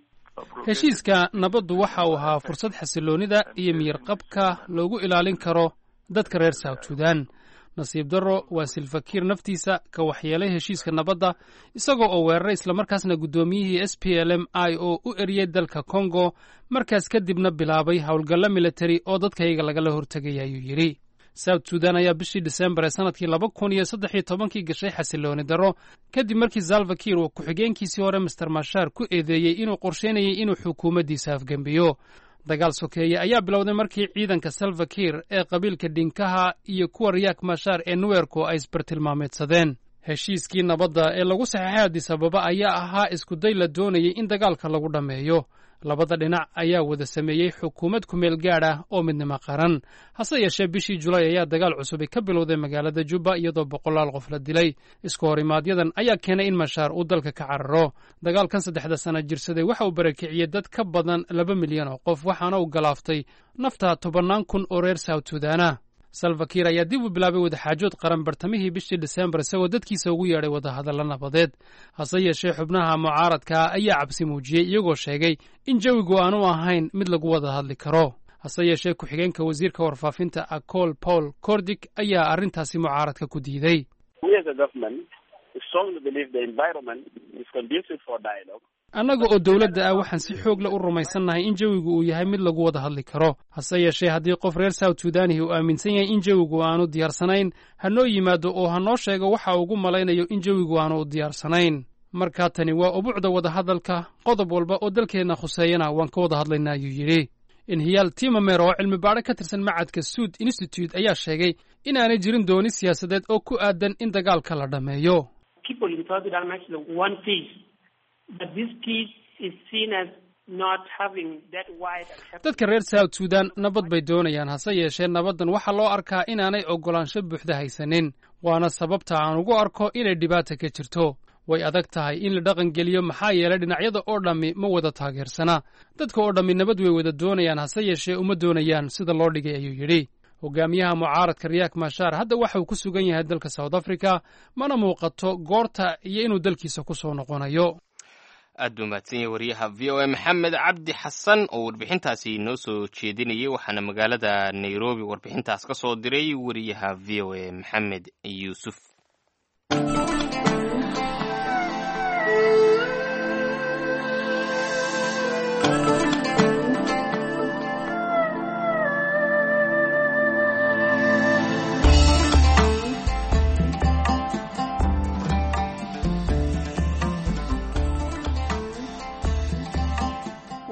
Speaker 8: Heshiiska nabaddu waxa uu ahaa fursad xasiloonnida iyo miyirqabka loogu ilaalin karo dadka reer South Sudan. Nasiib darro, waa Silfakiir naftiisa ka waxyeelay heshiiska nabadda, isagoo oo weeraray islamarkaasna guddoomiyihii s p l m i oo u eriyey dalka Congo, markaas kadibna bilaabay howlgallo militari oo dadkayaga lagala hortegaya, ayuu yidhi. South Sudan ayaa bishii Disembar ee sannadkii 2013-kii gashay xasilooni darro kadib markii Salva Kiir uu ku-xigeenkiisii hore Master Mashaar ku eedeeyey inuu qorsheynayay inuu xukuumaddiisa afgembiyo. Dagaal sokeeye ayaa bilowday markii ciidanka Salva Kiir ee qabiilka Dhinkaha iyo kuwa Riyaak Mashaar ee Nuwerko ay isbartilmaameedsadeen. Heshiiskii nabadda ee lagu saxeexay Addis Ababa ayaa ahaa iskuday la doonayay in dagaalka lagu dhammeeyo. Labada dhinac ayaa wada sameeyey xukuumad kumeel gaadh ah oo midnimo qaran. Hase yeeshee, bishii Julaay ayaa dagaal cusubi ka bilowday magaalada Jubba, iyadoo boqolaal qof la dilay. Isku horimaadyadaan ayaa keenay in Mashaar uu dalka ka cararo. Dagaalkan 3-da sana jirsaday waxa uu barakiciyey dad ka badan 2 milyan oo qof, waxaana uu galaaftay nafta tobannaan kun oo reer South Sudaana. Salva Kiir ayaa dib u bilaabay wadaxaajood qaran bartamihii bishii Disembar, isagoo dadkiisa ugu yeedhay wadahadallo nabadeed. Hase yeeshee, xubnaha mucaaradka ayaa cabsi muujiyey, iyagoo sheegay in jawigu aanu ahayn mid lagu wada hadli karo. Hase yeeshee, ku-xigeenka wasiirka warfaafinta Acol Paul Cordic ayaa arrintaasi mucaaradka ku diiday. Annaga oo dowladda ah waxaan si xoog leh u rumaysannahay in jawigu uu yahay mid lagu wada hadli karo. Hase yeeshee, haddii qof reer South Sudaanihi uu aaminsan yahay in jawigu aanu diyaarsanayn, ha noo yimaado oo ha noo sheego waxa ugu malaynayo in jawigu aanu u diyaarsanayn. Markaa tani waa ubuucda wadahadalka, qodob walba oo dalkeenna khuseeyana waan ka wada hadlaynaa, ayuu yidhi. Inhiyaal Timamer oo cilmi baadho ka tirsan macadka Suud Institute ayaa sheegay inaanay jirin dooni siyaasadeed oo ku aadan in dagaalka la dhammeeyo. Dadka reer South Sudan nabad bay doonayaan, hase yeeshee nabaddan waxaa loo arkaa inaanay oggolaansho buuxda haysanin, waana sababta aan ugu arko inay dhibaata ka jirto. Way adag tahay in la dhaqangeliyo, maxaa yeelay dhinacyada oo dhammi ma wada taageersana. Dadka oo dhammi nabad way wada doonayaan, hase yeeshee uma doonayaan sida loo dhigay, ayuu yidhi. Hogaamiyaha mucaaradka Riyaak Mashaar hadda waxa uu ku sugan yahay dalka South Africa, mana muuqato goorta iyo inuu dalkiisa ku soo noqonayo.
Speaker 2: Aad buu mahadsan yahay wariyaha VOA Maxamed Cabdi Xasan oo warbixintaasi noo soo jeedinayay, waxaana magaalada Nairobi warbixintaas ka soo diray wariyaha VOA Maxamed Yuusuf.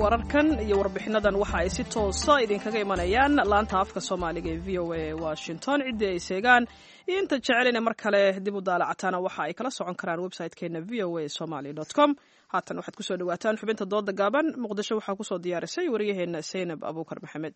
Speaker 1: Wararkan iyo warbixinadan waxa ay si toosa idinkaga imanayaan laanta afka Soomaaliga ee VOA Washington. Ciddii ay seegaan iyo inta jecel inay mar kale dib u daalacataana waxa ay kala socon karaan website-keena voa somali com. Haatan waxaad kusoo dhawaataan xubinta dooda gaaban. Muqdisho waxaa kusoo diyaarisay wariyaheena Saynab Abuukar Maxamed.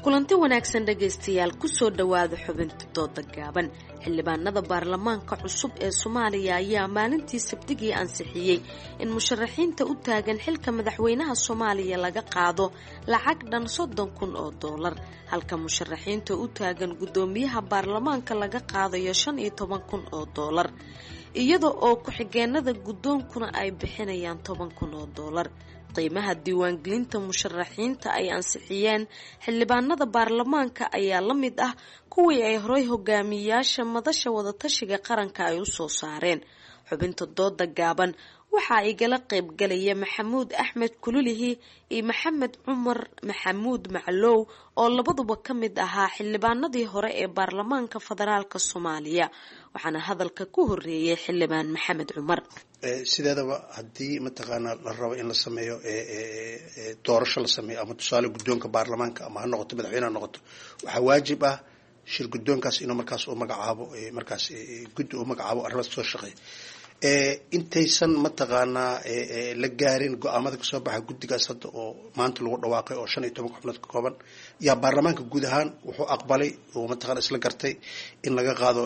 Speaker 10: Kulanti wanaagsan dhegaystayaal, kusoo dhowaada xubinta dooda gaaban. Xildhibaanada baarlamaanka cusub ee Soomaaliya ayaa maalintii Sabtigii ansixiyey in musharaxiinta u taagan xilka madaxweynaha Soomaaliya laga qaado lacag dhan $30,000, halka musharaxiinta u taagan guddoomiyaha baarlamaanka laga qaadayo $15,000, iyada oo ku-xigeenada guddoonkuna ay bixinayaan $10,000. Qiimaha diiwaangelinta musharaxiinta ay ansixiyeen xildhibaanada baarlamaanka ayaa la mid ah kuwii ay horey hogaamiyayaasha madasha wadatashiga qaranka ay usoo saareen. Xubinta dooda gaaban waxaa igala qaybgalaya Maxamuud Axmed Kululihi iyo Maxamed Cumar Maxamuud Maclow oo labaduba ka mid ahaa xildhibaanadii hore ee baarlamaanka federaalka Soomaaliya, waxaana hadalka ku horeeyay xildhibaan Maxamed Cumar.
Speaker 11: Sideedaba haddii mataqaanaa la rabo in la sameeyo doorasho la sameeyo, ama tusaale guddoonka baarlamaanka ama ha noqoto madaxweyne ha noqoto, waxaa waajib ah shir guddoonkaas inuu markaas u magacaabo, markaas guddi u magacaabo arrimaas soo shaqeeya. Intaysan mataqaanaa la gaarin go-aamada kasoo baxa guddigaas hadda oo maanta lagu dhawaaqay oo 15 xubnood ka kooban, yaa baarlamaanka guud ahaan wuxuu aqbalay oo mataqana isla gartay in laga qaado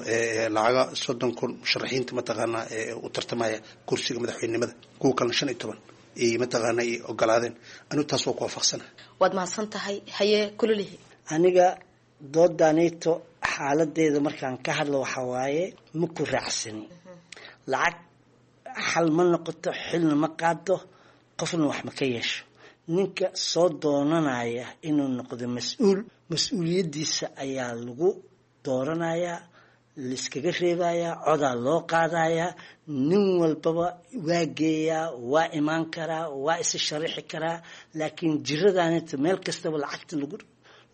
Speaker 11: lacaga 30,000 musharaxiinta mataqaanaa u tartamaya kursiga madaxweynenimada, kuwa kalena 15 ay mataqaana ay ogolaadeen. Anigu taas waa ku waafaqsana.
Speaker 10: Waad mahadsan tahay. Haye Kululihi.
Speaker 12: Aniga doodaanito xaaladeeda markaan ka hadlo waxaa waaye ma ku raacsani. Lacag xal ma noqoto, xilna ma qaado, qofna wax ma ka yeesho. Ninka soo doonanaya inuu noqdo mas-uul, mas-uuliyaddiisa ayaa lagu dooranayaa, laiskaga reebayaa, codaa loo qaadayaa. Nin walbaba waa geeyaa, waa imaan karaa, waa isa sharixi karaa, laakiin jiradaanita meel kastaba lacagta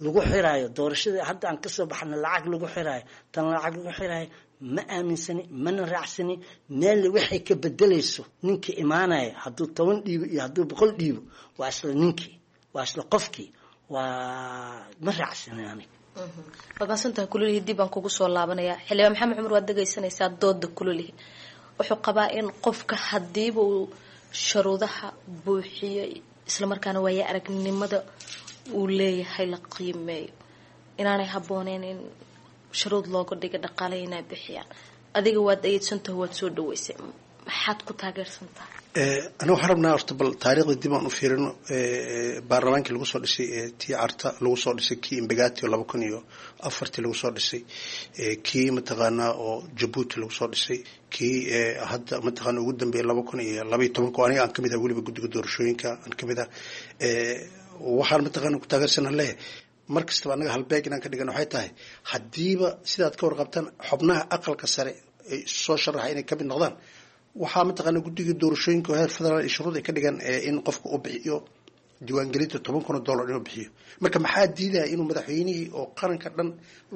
Speaker 12: lagu xiraayo, doorashada hadda aan kasoo baxna lacag lagu xiraayo, tan lacag lagu xiraayo, ma aaminsani, mana raacsani. Meel waxay ka bedelayso ninkii imaanaya hadduu 10 dhiibo iyo hadduu 100 dhiibo, waa isla ninkii, waa isla qofkii, waa ma raacsani aniga.
Speaker 10: Waad mahadsantahay Kululihi, dib baan kugu soo laabanayaa. Xildhibaan Maxamed Cumar, waad dhegaysanaysaa dooda Kululihi. Wuxuu qabaa in qofka hadiiba uu sharuudaha buuxiyo islamarkaana waaya aragnimada uu leeyahay la qiimeeyo, inaanay habbooneyn in shuruud looga dhiga dhaqaale inay bixiyaan. Adiga waad ayeedsantaho, waad soo dhaweysay, maxaad ku taageersan tahay?
Speaker 11: Aniga waxaan rabnaa horta bal taariikhda dib aan u fiirino. Baarlamaankii lagu soo dhisay tii Carta lagu soo dhisay, kii Imbagati oo 2004-tii lagu soo dhisay, kii mataqaanaa oo Jabuuti lagu soo dhisay, kii hadda mataqaana ugu dambeeyay 2012-ka oo aniga aan kamid ah weliba guddiga doorashooyinka aan kamid ah, waxaan mataqaana ku taageersanaan leeyahay mar kastaba annaga halbeeg inaan ka dhigan waxay tahay haddiiba sidaad ka warqabtaan xubnaha aqalka sare ay soo sharaxa inay kamid noqdaan, waxaa mataqaana guddiga doorashooyinka oo heer federaal iyo shuruud ay ka dhigan in qofka uu bixiyo diiwaangelinta $10,000 inuu bixiyo. Marka maxaa diidaya inuu madaxweynihii oo qaranka dhan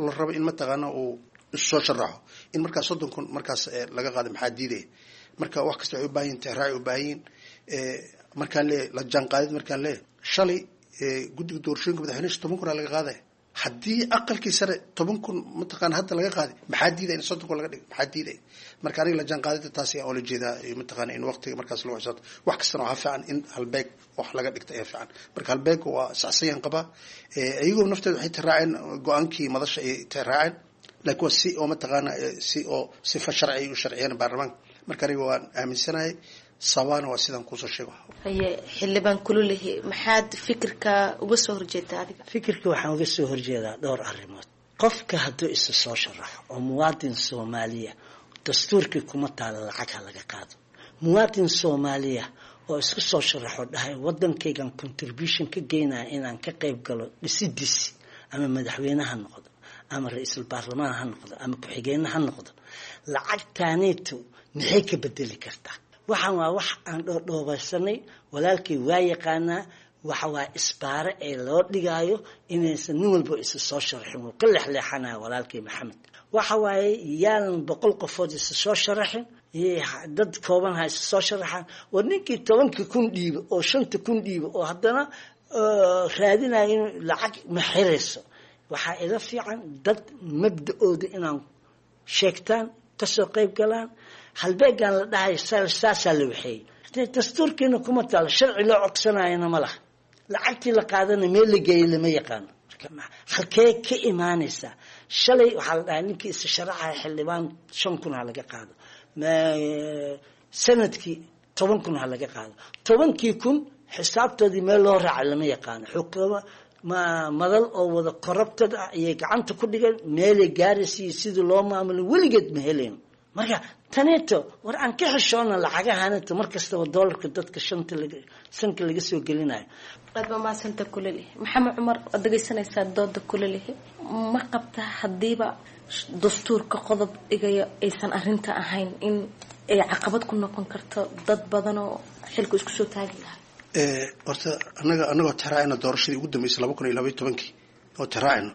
Speaker 11: la rabo in mataqaana uu soo sharaxo in markaas 30,000 markaas laga qaado? Maxaa diidaya? Marka wax kasta waxay u baahan yihin tixraacay u baahan yihin. Markaan leeyahay la jaanqaadid, markaan leeyahay shalay guddiga doorashooyinka madaxweynaha 10,000 aa laga qaadaya, haddii aqalkii sare 10,000 mataqaana hadda laga qaaday, maxaa diidaya in 30,000 laga dhigo? Maxaa diidaya? Marka aniga la jaanqaadida taas ayaa oola jeedaa, mataqaana in waqtiga markaas lagu xisaabto. Wax kastana waxaa fiican in halbeeg wax laga dhigta ayaa fiican. Marka halbeeg waa saxsayaan qabaa, iyagoo nafteeda waxay tiraaceen go-aankii madasha ay tiraaceen. Laakiin waa si oo mataqaana si oo sifa sharci ay u sharciyeen baarlamaanka. Marka aniga waan aaminsanahay, sabaana waa sidaan kuusoo sheego.
Speaker 10: Haye, xildhibaan Kululehi, maxaad fikirka uga soo horjeedaa adiga?
Speaker 12: Fikirka waxaan uga soo horjeedaa dhowr arrimood. Qofka hadduu isa soo sharaxo oo muwaadin Soomaaliya, dastuurkii kuma taala lacag ha laga qaado. Muwaadin Soomaaliya oo isku soo sharaxo, dhahay wadankaygan contribution ka geynaya inaan ka qayb galo dhisidiisi, ama madaxweyne ha noqdo ama ra-iisul baarlamaan ha noqdo ama ku-xigeenne ha noqdo, lacagtaaneyto maxay ka bedeli kartaa? Waxaan waa wax aan dhoodhoobaysanay. Walaalkay waa yaqaanaa, waxa waa isbaare ee loo dhigaayo inaysan nin walba isa soo sharaxin. Wuu ka leexleexanaya walaalkay Maxamed. Waxa waaye, yaanan 100 qofood isa soo sharaxin, dad kooban ha isa soo sharaxaan. War ninkii 10-kii kun dhiibo oo 5-ta kun dhiibo oo haddana raadinayo inuu lacag ma xirayso. Waxaa ila fiican dad mabda-ooda inaan sheegtaan, kasoo qayb galaan. Halbeegaan la dhahay saasaa la waxeeyey, dastuurkiina kuma taalo, sharci loo codsanayana ma laha. Lacagtii la qaadana meel la geeyey lama yaqaano, halkee ka imaanaysaa. Shalay waxaa la dhahay ninkii isa sharaxaya xildhibaan 5,000 ha laga qaado, sanadkii 10,000 ha laga qaado. 10-kii kun xisaabtoodii meel loo raacay lama yaqaano. Xukuma ma madal oo wada corrupted ah ayay gacanta ku dhigeen. Meelay gaaraysa iyo sidii loo maamulin weligeed ma helayn. Marka taneeto war aan ka xishoona lacagahanito mar kastaba doolarka dadka shanta laga sanka laga soo gelinayo.
Speaker 10: Aad baa mahadsanta, Kulalihi. Maxamed Cumar, waad dhegeysanaysaa dooda Kulalihi. Ma qabta haddiiba dastuurka qodob dhigayo aysan arrinta ahayn in ay caqabad ku noqon karto dad badan oo xilku isku soo taagi lahaa?
Speaker 11: Horta anaga anagoo tixraacayna doorashadii ugu dambeysay 2012-kii oo tixraacayno,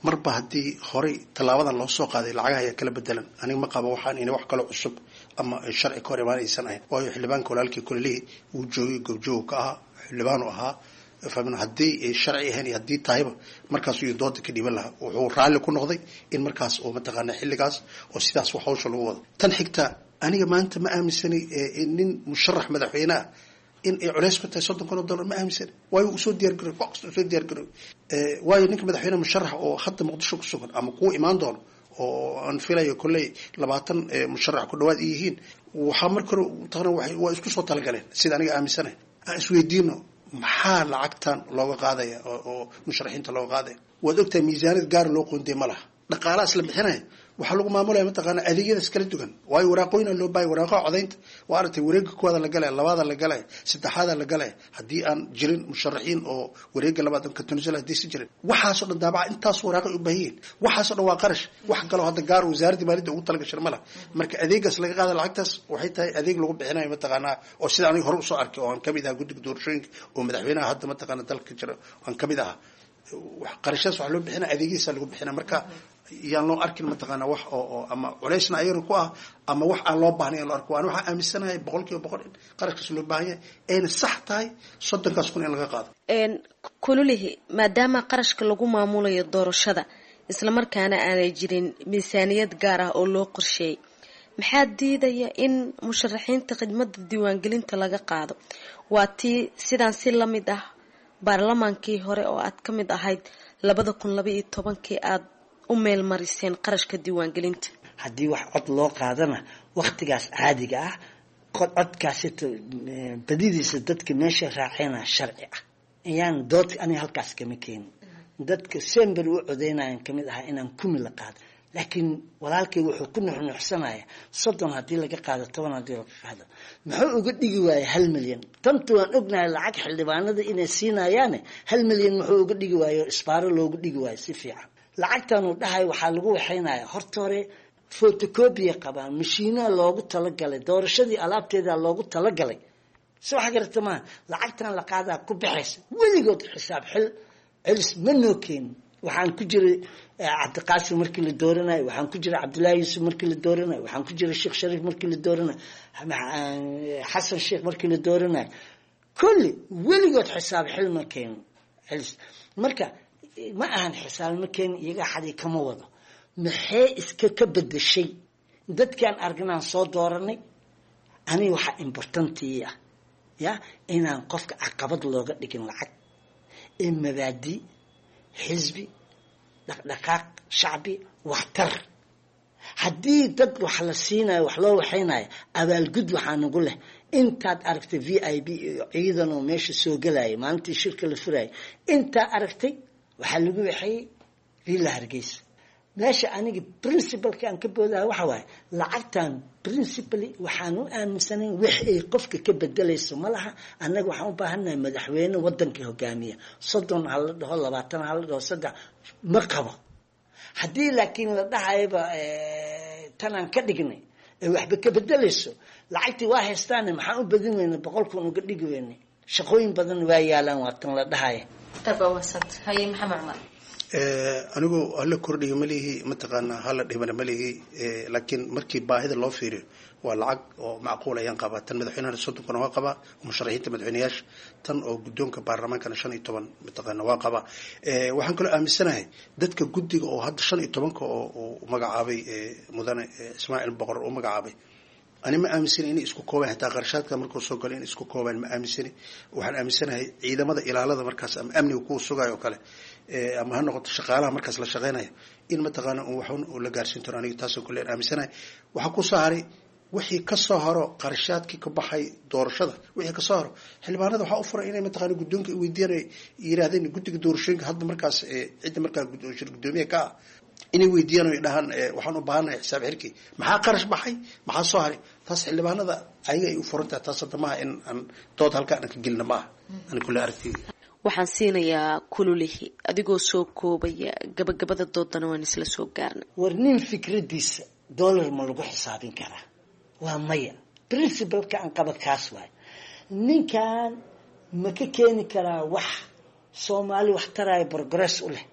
Speaker 11: marba haddii horay tallaabadan loo soo qaaday lacagaha ayaa kala bedelan. Aniga ma qabo waxaan ina wax kaloo cusub ama sharci ka hor imaan aysan ahayn, waayo xildhibaanka walaalkii Kulelihii wuu joogay, goobjoog ka ahaa, xildhibaanu ahaa. Fahmin haddii ay sharci ahayn iyo haddii tahayba markaas iyo dooda ka dhiiban lahaa. Wuxuu raalli ku noqday in markaas oo mataqaana xilligaas oo sidaas wax hawsha lagu wado. Tan xigta, aniga maanta ma aaminsanay nin musharax madaxweyne ah in ay culays ku tahay $30,000. Ma aaminsani, waayo usoo diyaar garoy, wax kasta usoo diyaar garoy. Waayo ninka madaxweyne musharax oo hadda Muqdisho ku sugan ama kuwa imaan doono oo aan filayo kolley 20 musharax ku dhawaad yihiin, waxaa marka hore taqna waa isku soo talagaleen. Sida aniga aaminsanahay, aan isweydiino maxaa lacagtan looga qaadaya oo musharaxiinta looga qaadaya. Waad ogtahay miisaaniyad gaar loo qoondey ma laha. Dhaqaalahaas la bixinaya waxaa lagu maamulaya mataqaana adeegyadaas kala duwan, waayo waraaqooyina loo baayay, waraaqaha codaynta. Waa aragtay, wareega kuwaada la galaya, labaada la galaya, saddexaada la galaya. Haddii aan jirin musharaxiin oo wareega labaad ka tanasula, haddii si jirin, waxaasoo dhan daabaca intaas waraaqay u baahan yihiin. Waxaasoo dhan waa qarash. Wax kaloo hadda gaar wasaaradda maaliyadda ugu talagashan ma laha. Marka adeegaas laga qaada lacagtaas waxay tahay adeeg lagu bixinayo mataqaanaa oo sida aniga hore usoo arkay oo aan kamid ahaa guddiga doorashooyinka oo madaxweynaha hadda mataqaana dalka jira aan kamid ahaa. Qarashaas waxaa loo bixina adeegyadiisa lagu bixina. Marka yaan loo arkin mataqaana wax oo ama culaysna ayagana ku ah ama wax aan loo baahnayn loo arko. Waan waxaan aaminsanahay 100% in qarashkaas loo baahan yahay, ayna sax tahay 30-kaas kun in laga qaado.
Speaker 10: Kululihi, maadaama qarashka lagu maamulayo doorashada islamarkaana aanay jirin miisaaniyad gaar ah oo loo qorsheeyay, maxaa diidaya in musharaxiinta khidmada diiwaangelinta laga qaado? Waa tii sidaan si lamid ah baarlamaankii hore oo aad ka mid ahayd 2012-kii aada u meelmariseen qarashka diiwaangelinta.
Speaker 12: Haddii wax cod loo qaadana waktigaas caadiga ah, codkaasito badidiisa dadka meesha raaceyna sharci ah ayaan dood aniga halkaas kama keenin. Dadka sember u codeynayan kamid ahaa inaan kumi la qaado, laakiin walaalkay wuxuu ku nuxnuxsanaya 30 haddii laga qaado, 10 haddii laga qaado, muxuu uga dhigi waayay 1 milyan? Tanta waan ognahay lacag xildhibaanada inay siinayaane, 1 milyan muxuu uga dhigi waayo, isbaaro loogu dhigi waayo si fiican? Lacagtanuu dhahay waxaa lagu waxaynaya horta hore photocopy qabaan, mashiinaha loogu talagalay doorashadii, alaabteeda loogu talagalay. Si waxa garata maaha, lacagtan la qaadaa ku baxaysa. Weligood xisaab xil celis ma noo keenin. Waxaan ku jiray Cabdiqaasim markii la dooranayo, waxaan ku jiray Cabdullaahi Yuusuf markii la dooranayo, waxaan ku jiray Sheekh Shariif markii la dooranayo, Xasan Sheekh markii la dooranayo, kulli weligood xisaab xil ma keenin celis. Marka ma ahan xisaab ma keenin, iyaga xadii kama wado. Maxay iska ka bedeshay dadkaan aragnaan soo dooranay? Aniga waxaa important ii ah ya inaan qofka caqabad looga dhigin lacag ee mabaadi, xisbi, dhaqdhaqaaq shacbi, waxtar. Haddii dad wax la siinayo, wax loo waxaynayo, abaalgud waxaa nagu leh intaad aragtay VIP iyo ciidan oo meesha soo gelaya maalintii shirka la furayay. Intaa aragtay waxaa lagu waxeeyey Villa Hargeysa. Meesha aniga principalka aan ka boodaha waxa waaye, lacagtan principally waxaan u aaminsanayn wix ay qofka ka bedelayso ma laha. Annaga waxaan u baahannahay madaxweyne wadanka hogaamiya. 30 ha la dhaho, 20 ha la dhaho, saddex ma qabo. Haddii laakiin la dhahayaba tanaan ka dhignay ee waxba ka bedelayso, lacagtii waa haystaane, maxaan u badin weyna 100,000 uga dhigi weynay? Shaqooyin badan waa yaalaan, waa tan la dhahaya.
Speaker 13: Haye, Maxamed Cumar.
Speaker 11: Anigu hala kordhiyo ma lihi, mataqaanaa, hala dhibana ma lihi, laakiin markii baahida loo fiiriyo waa lacag oo macquul ayaan qabaa. Tan madaxweynahana 30,000 waa qabaa, musharaxiinta madaxweyneyaasha. Tan oo guddoonka baarlamaankana 15 mataqaana waa qabaa. Waxaan kaloo aaminsanahay dadka guddiga oo hadda 15-ka oo uu magacaabay mudane Ismaaciil Boqor uu magacaabay, ani ma aaminsani inay isku koobaan. Xitaa qarashaadka markuu soo galo in isku koobaan ma aaminsani. Waxaan aaminsanahay ciidamada ilaalada markaas ama amniga kuwa sugayo oo kale, ama ha noqoto shaqaalaha markaas la shaqeynaya, in mataqaana un waxun uu la gaarsiin doono. Aniga taasoo kale aan aaminsanahay. Waxaa ku soo haray wixii kasoo haro qarashaadkii ka baxay doorashada. Wixii kasoo haro xildhibaanada waxaa u furay inay mataqaana guddoonka weydiiyaan, ay yiraahdeen guddiga doorashooyinka hadda markaas cidda markaa shir guddoomiye ka ah inay weydiiyaan oo dhahaan, waxaan u baahanahay xisaab xirkii, maxaa qarash baxay, maxaa soo haray. Taas xildhibaanada ayaga ay u furan tahay. Taas hadda maaha in aan dood halka aan ka gelina maaha, ani kulle aragtiyda.
Speaker 10: Waxaan siinayaa Kululihi, adigoo soo koobaya gabagabada doodana waan isla soo gaarnay.
Speaker 12: War nin fikradiisa dollar ma lagu xisaabin karaa? Waa maya. Principalka aan qaba kaas waay. Ninkan ma ka keeni karaa wax Soomaali wax taraayo, progress u leh?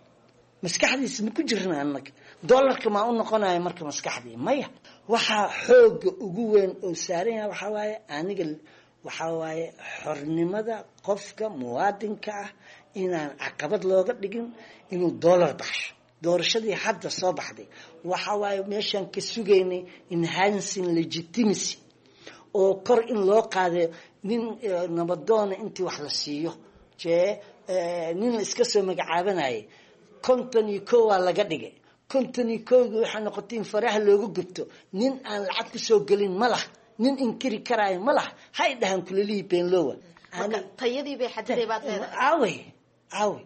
Speaker 12: Maskaxdiisa ma ku jirna annaga dollarka maa u noqonaya marka maskaxdii? Maya. Waxaa xooga ugu weyn oo saaran yahay waxaa waaye, aniga waxaa waaye xornimada qofka muwaadinka ah inaan caqabad looga dhigin inuu dollar baxsho. Doorashadii hadda soo baxday waxa waaye meeshaan ka sugaynay enhancing legitimacy oo kor in loo qaadayo nin nabadoona intii wax la siiyo jee nin la iska soo magacaabanayay 51 waa laga dhigay. 51-gii waxaa noqotay in faraha looga gubto. Nin aan lacag kusoo gelin ma laha, nin inkiri karaayo ma laha. Hay dhahan Kulelihii beenlowa.
Speaker 13: Tayadii bay xadiday baad leedahay.
Speaker 12: Aawey, aawey,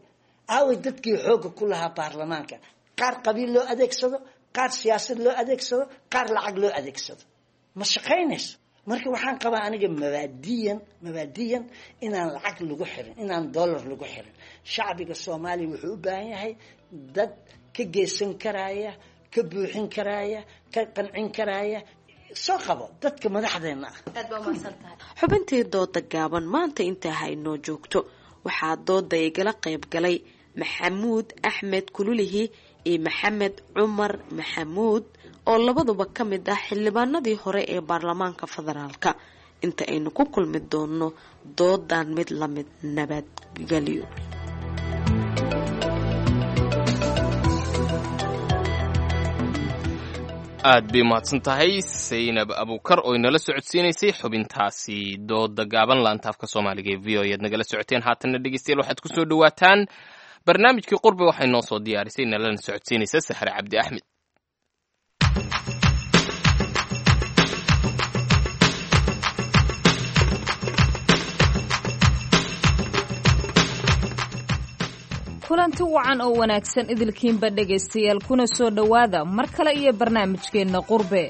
Speaker 12: aawey dadkii xoogga ku lahaa baarlamaanka? Qaar qabiil loo adeegsado, qaar siyaasad loo adeegsado, qaar lacag loo adeegsado, ma shaqaynayso. Marka waxaan qabaa aniga mabaadiyan inaan lacag lagu xirin, inaan dollar lagu xirin. Shacbiga Soomaaliya wuxuu u baahan yahay dad ka geysan karaya, ka buuxin karaya, ka qancin karaya. Soo qabo dadka madaxdeena ah.
Speaker 13: Aad baa umahadsan tahay.
Speaker 10: Xubintii dooda gaaban maanta intaa ha inoo joogto. Waxaa dooda igala qayb galay Maxamuud Axmed Kululihi iyo Maxamed Cumar Maxamuud oo labaduba ka mid ah xildhibaanadii hore ee baarlamaanka federaalka. Inta aynu ku kulmi doono doodan mid lamid, nabadgelyo.
Speaker 2: Aad bay umahadsan tahay Saynab Abuukar oo inala socodsiinaysay xubintaasi dooda gaaban. Laantaafka Soomaaliga ee VOA ayaad nagala socoteen. Haatanna dhegeystayaal, waxaad ku soo dhowaataan barnaamijkii Qurbe. Waxay noo soo diyaarisay nalana socodsiinaysa Saxre Cabdi Axmed.
Speaker 14: Kulanti wacan oo wanaagsan idilkiinba dhegaystayaal, kuna soo dhowaada mar kale iyo barnaamijkeenna Qurbe.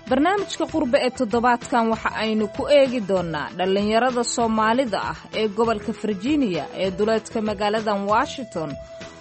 Speaker 14: Barnaamijka Qurbe ee toddobaadkan waxa aynu ku eegi doonnaa dhallinyarada Soomaalida ah ee gobolka Virginia ee duleedka magaaladan Washington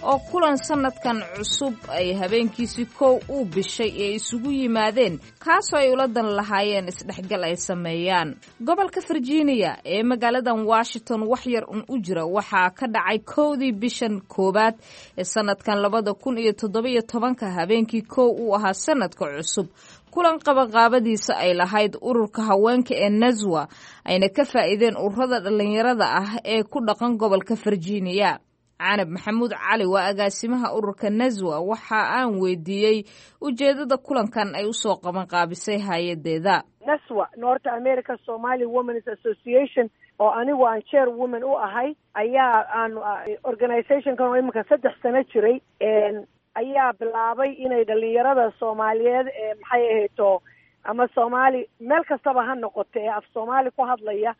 Speaker 14: oo kulan sannadkan cusub ay habeenkiisii kow uu bishay ee isugu yimaadeen, kaasoo ay ula dan lahaayeen isdhexgal ay sameeyaan. Gobolka Virginia ee magaaladan Washington wax yar un u jira waxaa ka dhacay 1-dii bishan koowaad ee sannadkan 2017-ka, habeenkii kow uu ahaa sannadka cusub, kulan qabanqaabadiisa ay lahayd ururka haweenka ee Naswa, ayna ka faa'iideen ururada dhallinyarada ah ee ku dhaqan gobolka Virginia. Canab Maxamuud Cali waa agaasimaha ururka Naswa. Waxa aan weydiiyey ujeedada kulankan ay usoo qabanqaabisay hay-adeeda.
Speaker 15: Naswa, North America Somali Women's Association, oo anigu aan chair woman u ahay, ayaa aanu organizationkan oo iminka 3 sano jiray. ayaa bilaabay inay dhalinyarada Soomaaliyeed ee maxay ahayto ama Soomaali meel kastaba ha noqoto ee af Soomaali ku hadlaya,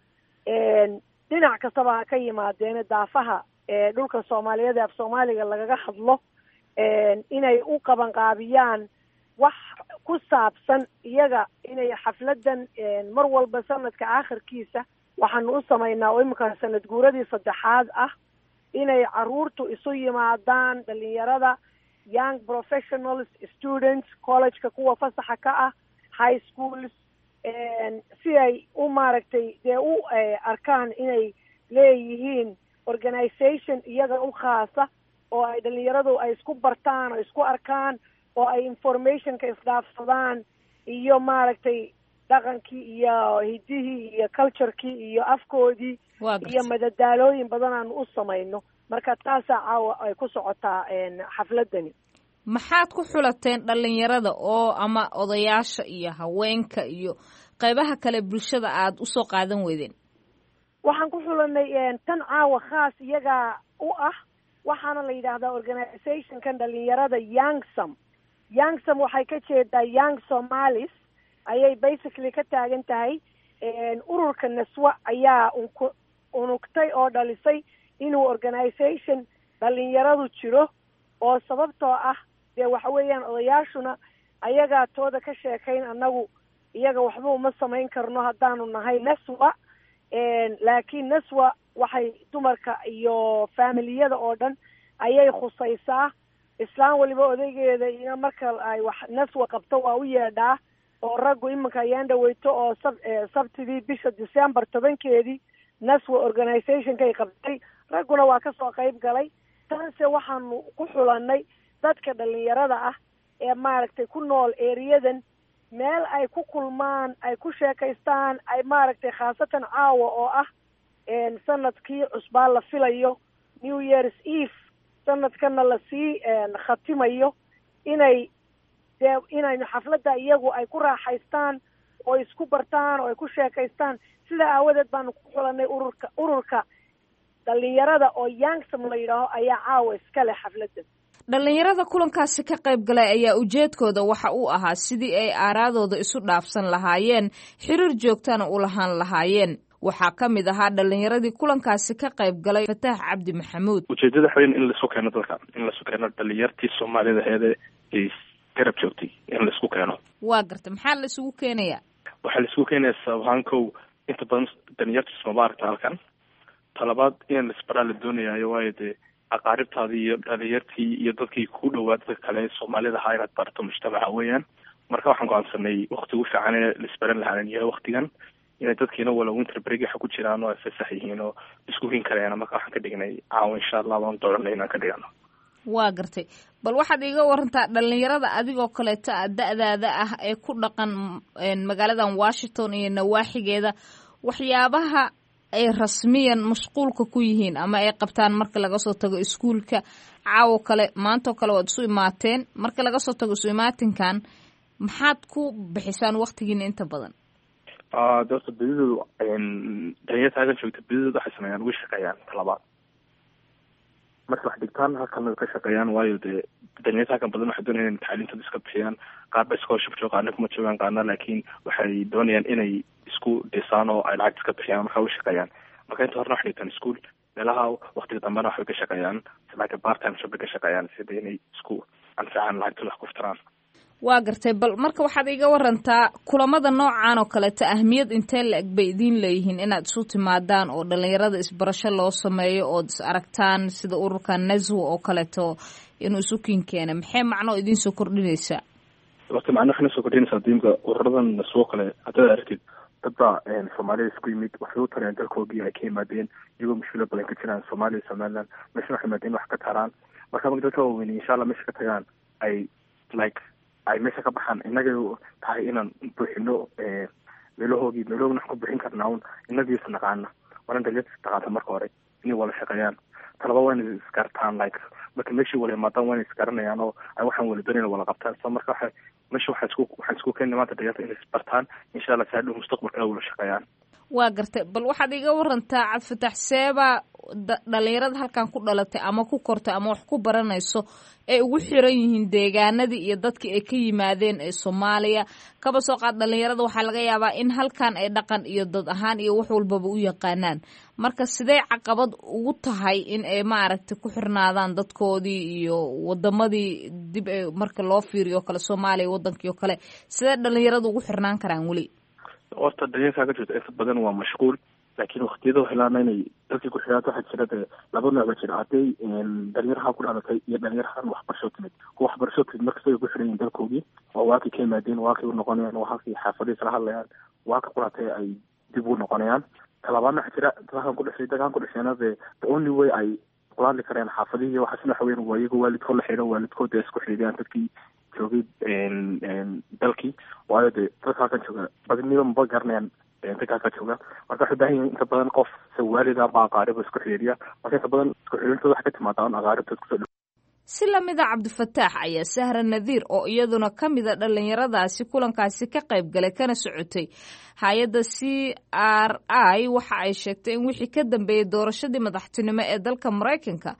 Speaker 15: dhinac kastaba ha ka yimaadeene, daafaha ee dhulka Soomaaliyeed ee af Soomaaliga lagaga hadlo, inay u qabanqaabiyaan wax ku saabsan iyaga, inay xafladan mar walba sanadka aakhirkiisa waxaanu u samaynaa oo iminka sanad guuradii saddexaad ah, inay caruurtu isu yimaadaan, dhalinyarada, young professionals, students, collegeka kuwa fasaxa ka ah, high schools, si ay u maaragtay dee u arkaan inay leeyihiin organization iyaga u khaasa oo ay dhalinyaradu ay isku bartaan oo isku arkaan oo ay informationka isdhaafsadaan iyo maaragtay dhaqankii iyo hidihii iyo culturekii iyo afkoodii iyo madadaalooyin badan aanu u samayno. Marka taasaa caawa ay ku socotaa xafladani.
Speaker 14: Maxaad ku xulateen dhalinyarada oo ama odayaasha iyo haweenka iyo qaybaha kale bulshada aad usoo qaadan weydeen?
Speaker 15: Waxaan ku xulanay tan caawa khaas iyagaa u ah. Waxaana la yidhaahdaa organizationkan dhalinyarada Youngsome. Youngsome waxay ka jeedaa Young Somalis ayay basically ka taagan tahay. Ururka Naswa ayaa unku unugtay oo dhalisay inuu organization dhalinyaradu jiro, oo sababtoo ah dee waxa weeyaan odayaashuna ayagaa tooda ka sheekayn, annagu iyaga waxba uma samayn karno haddaanu nahay Naswa. Laakiin Naswa waxay dumarka iyo faamiliyada oo dhan ayay khusaysaa. Islaan waliba odaygeeda ina marka ay wax Naswa qabto waa u yeedhaa, oo raggu iminka ayaan dhaweyto oo sabtidii bisha December 10-keedii Naswa organizationkay qabtay, ragguna waa kasoo qayb galay. Tanse waxaanu ku xulanay dadka dhalinyarada ah ee maaragtay ku nool eriyadan, meel ay ku kulmaan, ay ku sheekaystaan, ay maaragtay khaasatan caawa oo ah sanadkii cusbaa la filayo, New Year's Eve, sanadkana lasii khatimayo, inay dee inaynu xafladda iyagu ay ku raaxaystaan oo isku bartaan oo ay ku sheekaystaan. Sidaa aawadeed baanu ku xulanay ururka dhalinyarada oo Youngsome la yidhaaho ayaa caawa iska leh xafladda.
Speaker 14: Dhalinyarada kulankaasi ka qayb galay ayaa ujeedkooda waxa uu ahaa sidii ay aaraadooda isu dhaafsan lahaayeen, xiriir joogtana u lahaan lahaayeen. Waxaa ka mid ahaa dhalinyaradii kulankaasi ka qayb galay Fataax Cabdi Maxamuud.
Speaker 16: Ujeedada waxa weyn in laisu keeno dadka, in laisu keeno dhalinyartii Soomaalida aheede ay garab joogtay, in laisku keeno.
Speaker 14: Waa garta, maxaa la isugu keenayaa?
Speaker 16: Waxaa la isugu keenayaa sabahaan kow, inta badan dhalinyarta sooma aragta halkan. Talabaad, in laisbaraa la doonayaayo, waayo dee aqaaribtaadii iyo dhalinyartii iyo dadkii ku dhawaa dadka kale Soomaalida ahaa inaad barato mujtamaca weeyaan. Marka waxaan go-aansanay wakti ugu fiican in laisbaran lahaan yahay waktigan, inay dadkiina wala winter break waxa ku jiraan oo ay fasax yihiin oo isku hin karayaan. Marka waxaan ka dhignay caawa, insha Allah waan dooranay inaan ka dhigano.
Speaker 14: Waa gartay. Bal waxaad iiga warantaa dhalinyarada adigoo kaleeto a da-daada ah ee ku dhaqan magaaladan Washington iyo nawaaxigeeda, waxyaabaha ay rasmiyan mashquulka ku yihiin ama ay qabtaan marka laga soo tago iskuulka. Caawo kale, maantoo kale waad isu imaateen, marka laga soo tago isu imaatinkan, maxaad ku bixisaan waktigiina inta badan?
Speaker 16: De horta bedidoodu dhalinyarta halkan joogta bedidoodu waxay sameeyaan, way shaqeeyaan. Talabaad, marka wax dhigtaan halkan way ka shaqeeyaan, waayo dee dhalinyarta halkan badan waxay doonayaan inay tacliintooda iska bixiyaan. Qaar ba scholarship jooga, qaarna kuma joogaan, qaarna laakiin waxay doonayaan inay isku dhisaan oo ay lacagta iska bixiyaan. Marka way shaqeeyaan. Marka inta horena waxay dhigtaan school meelaha, waqtiga dambena waxbay ka shaqeeyaan, like part time job bay ka shaqeeyaan, sida inay isku anfacaan, lacagtooda wax ku furtaan.
Speaker 14: Waa gartay. Bal marka waxaad iiga warantaa kulamada noocan oo kaleeto ahmiyad intee la-eg bay idiin leeyihiin inaad isu timaadaan oo dhalinyarada isbarasho loo sameeyo ood is aragtaan, sida ururka Naswa oo kaleeto inuu isu kiin keena, maxay macnoo idiin soo kordhinaysaa?
Speaker 16: Horta macno waxay soo kordhinaysaa diimka ururadan Naswo kale haddaad aragtid, dad baa Soomaalida isku yimid, waxay u tareen dalkoogii ay ka yimaadeen iyagoo mushkilo badan ka jiraan Soomaaliya, Somaliland, meesha waxay yimaadeen wax ka taraan. Marka marka dadka waaweyn insha Allah meesha ka tagaan, ay like ay meesha ka baxaan, innagay tahay inaan buuxino meelahoogii. Meelahoogina waxaan ku buuxin karnaa un innagii is naqaana. Waana dhalinyarta is taqaanta marka hore inay wada shaqeeyaan. Talaba waa inay isgartaan, like marka meeshii wala imaadaan waa inay isgaranayaan oo ay waxaan wala doonayaan wala qabtaan. So marka waxa meesha waxaan isku keenay maanta dhalinyarta inay isbartaan, insha Allah si hadhow mustaqbalka ay wada shaqeeyaan.
Speaker 14: Waa gartay. Bal waxaad iga warantaa, Cabdifatax, seebaa dhalinyarada halkan ku dhalatay ama ku kortay ama wax ku baranayso ay ugu xiran yihiin deegaanadii iyo dadkii ay ka yimaadeen ee Soomaaliya? Kaba soo qaad dhalinyarada waxaa laga yaabaa in halkan ay dhaqan iyo dad ahaan iyo wax walbaba u yaqaanaan. Marka sidee caqabad ugu tahay in ay maaragtay ku xirnaadaan dadkoodii iyo wadamadii dib ay marka loo fiiriyo kale Soomaaliya wadankii oo kale, sidee dhalinyarada ugu xirnaan karaan weli?
Speaker 16: Horta dhalinyarkaa ka jirta inta badan waa mashquul, laakiin waktiyada waxay inay dadkii ku xidhaata. Waxaa jira dee laba nooc baa jira: hadday dhalinyaraha ku dhalatay iyo dhalinyarahan waxbarasho timid. Kuwa waxbarasho timid markasta way ku xidhan yihin dalkoogii, oo waakay ka yimaadeen, waakay u noqonayaan, waa halkay xaafadihii kala hadlayaan, waaka ku dhalatay ay dib ugu noqonayaan. Talabaadna waxaa jira dadkan ku dhashay, dadkan ku dhashayna dee the only way ay kula hadli kareen xaafadihii waxaasna waxa weyan waa iyago waalidkood la xidho, waalidkood dee isku xidhiidiyaan dadkii joogay dalkii, waayo dee dadka halkan jooga badniba maba garanayaan dadka halkan jooga. Marka waxay baahan yihin inta badan qof se waalid ama aqaariba isku xidhiidhiya. Marka inta badan isku xidhiidhintooda waxay ka timaadaa un aqaaribtood kusoo dhow.
Speaker 14: Si lamida Cabdifataax ayaa Sahra Nadiir oo iyaduna ka mida dhallinyaradaasi kulankaasi ka qayb galay kana socotay hay-adda CRI, waxa ay sheegtay in wixii ka dambeeyey doorashadii madaxtinimo ee dalka Maraykanka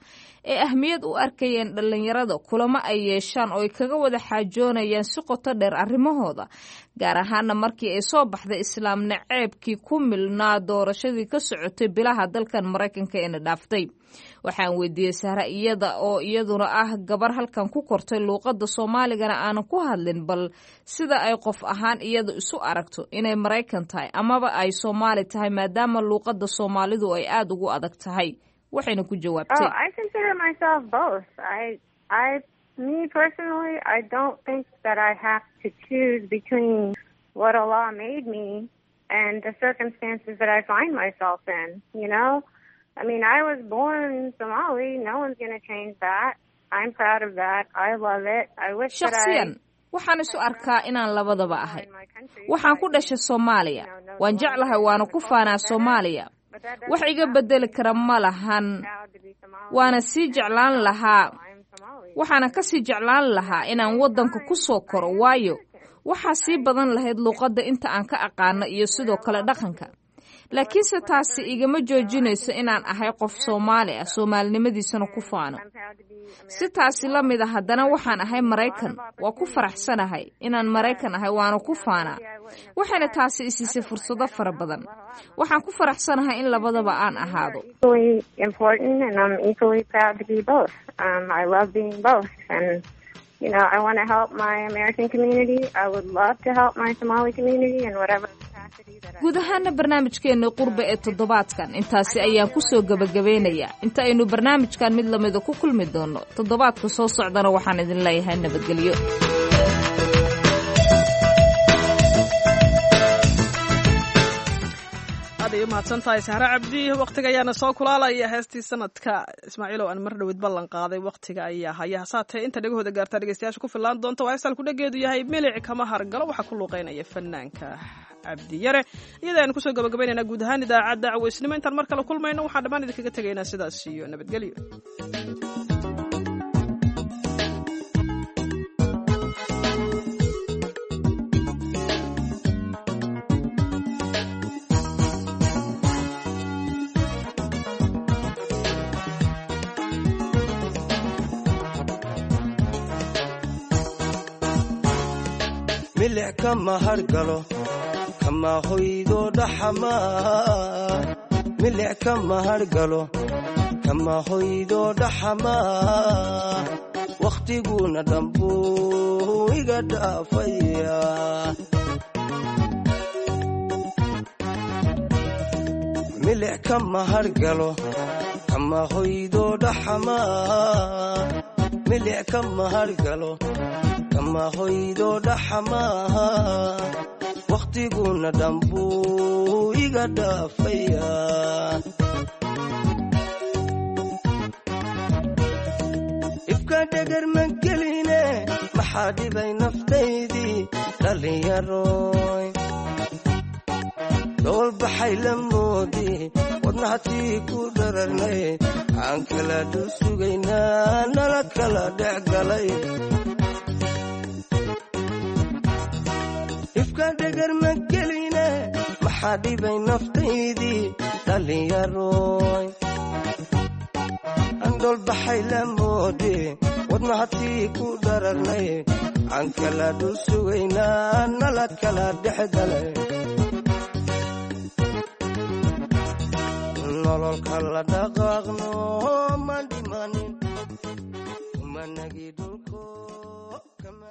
Speaker 14: ay ahmiyad u arkayeen dhallinyarada kulamo ay yeeshaan oo ay kaga wada xaajoonayaan si qoto dheer arrimahooda, gaar ahaana markii ay soo baxday islaam naceebkii ku milnaa doorashadii ka socotay bilaha dalkan Maraykanka eena dhaaftay. Waxaan weydiiyey Sahra, iyada oo iyaduna ah gabar halkan ku kortay, luuqadda Soomaaligana aanan ku hadlin, bal sida ay qof ahaan iyada isu aragto inay Maraykan tahay amaba ay Soomaali tahay, maadaama luuqadda Soomaalidu ay aada ugu adag tahay. Waxayna ku jawaabtay:
Speaker 17: Oh, I consider myself both. Me personally, I don't think that I have to choose between what Allah made me and the circumstances that I find myself in. I mean, I was born Somali. No one's going to change that. I'm proud of that. I love it. I wish that I
Speaker 14: Shakhsiyan waxaan isu arkaa inaan labadaba ahay. Waxaan ku dhashay Soomaaliya, waan jeclahay, waana ku faanaa Soomaaliya. Wax iga bedeli kara ma lahan, waana sii jeclaan lahaa, waxaana ka sii jeclaan lahaa inaan waddanka ku soo koro, waayo waxaa sii badan lahayd luuqadda inta aan ka aqaano iyo sidoo kale dhaqanka. Laakiinse taasi igama joojinayso inaan ahay qof Soomaali ah, soomaalinimadiisana ku faano. Si taasi la mid a haddana waxaan ahay Maraykan. Waa ku faraxsanahay inaan Maraykan ahay, waana ku faanaa, waxayna taasi isiisay fursado fara badan. Waxaan ku faraxsanahay in labadaba aan ahaado.
Speaker 17: Equally important, and I'm equally proud to be both. I love being both, and I want to help my American community. I would love to help my Somali community in whatever capacity that I
Speaker 14: Guud ahaana barnaamijkeena qurbe ee toddobaadkan intaasi ayaan ku soo gebagabeynayaa. Inta aynu barnaamijkan mid lamida ku kulmi doono toddobaadka soo socdana, waxaan idin leeyahay nabadgelyo.
Speaker 1: Aad ay u mahadsan tahay Sahre Cabdi. Waqtiga ayaana soo kulaalaya. Heestii sanadka, Ismaaciilow, aan mar dhowid ballan qaaday, waqtiga ayaa haya. Hasaatee inta dhegahooda gaartaa dhegeystayaasha ku fillaan doonta waa heestaan kudhageedu yahay "Milic Kama Hargalo". Waxaa ku luuqeynaya fanaanka Cabdi Yare. Iyada ayaan kusoo gabagabaynaynaa guud ahaan idaacadda caweysnimo. Intaan mar kale kulmayno, waxaan dhammaan idinkaga tegaynaa sidaas iyo nabadgelyo.
Speaker 18: Milic kama hargalo, kama hoydo dhaxamaa. Milic kama hargalo, kama hoydo dhaxamaa. Wakhtiguna dhambuu iga dhaafaya. Milic kama hargalo, kama hoydo dhaxamaa. Milic kama hargalo, kama hoydo dhaxamaha. Wakhtiguna dhambuu iga dhaafaya. Ifka dhegar ma geline, maxaa dhibay naftaydii dhallinyaroy? Dhoolbaxay la moodi wadnahatii ku dhararnay, aan kala dhul sugaynaa, nala kala dhex galay. Ifka dhegar ma geline. Maxaa dhibay naftaydii dhallinyaroy? Andholbaxay la moode, wadnahatii ku dhararnay, aan kala dhul sugaynaa, nala kala dhex galay. Nololka la dhaqaaqno ma dhimanin, managi dhulko kama.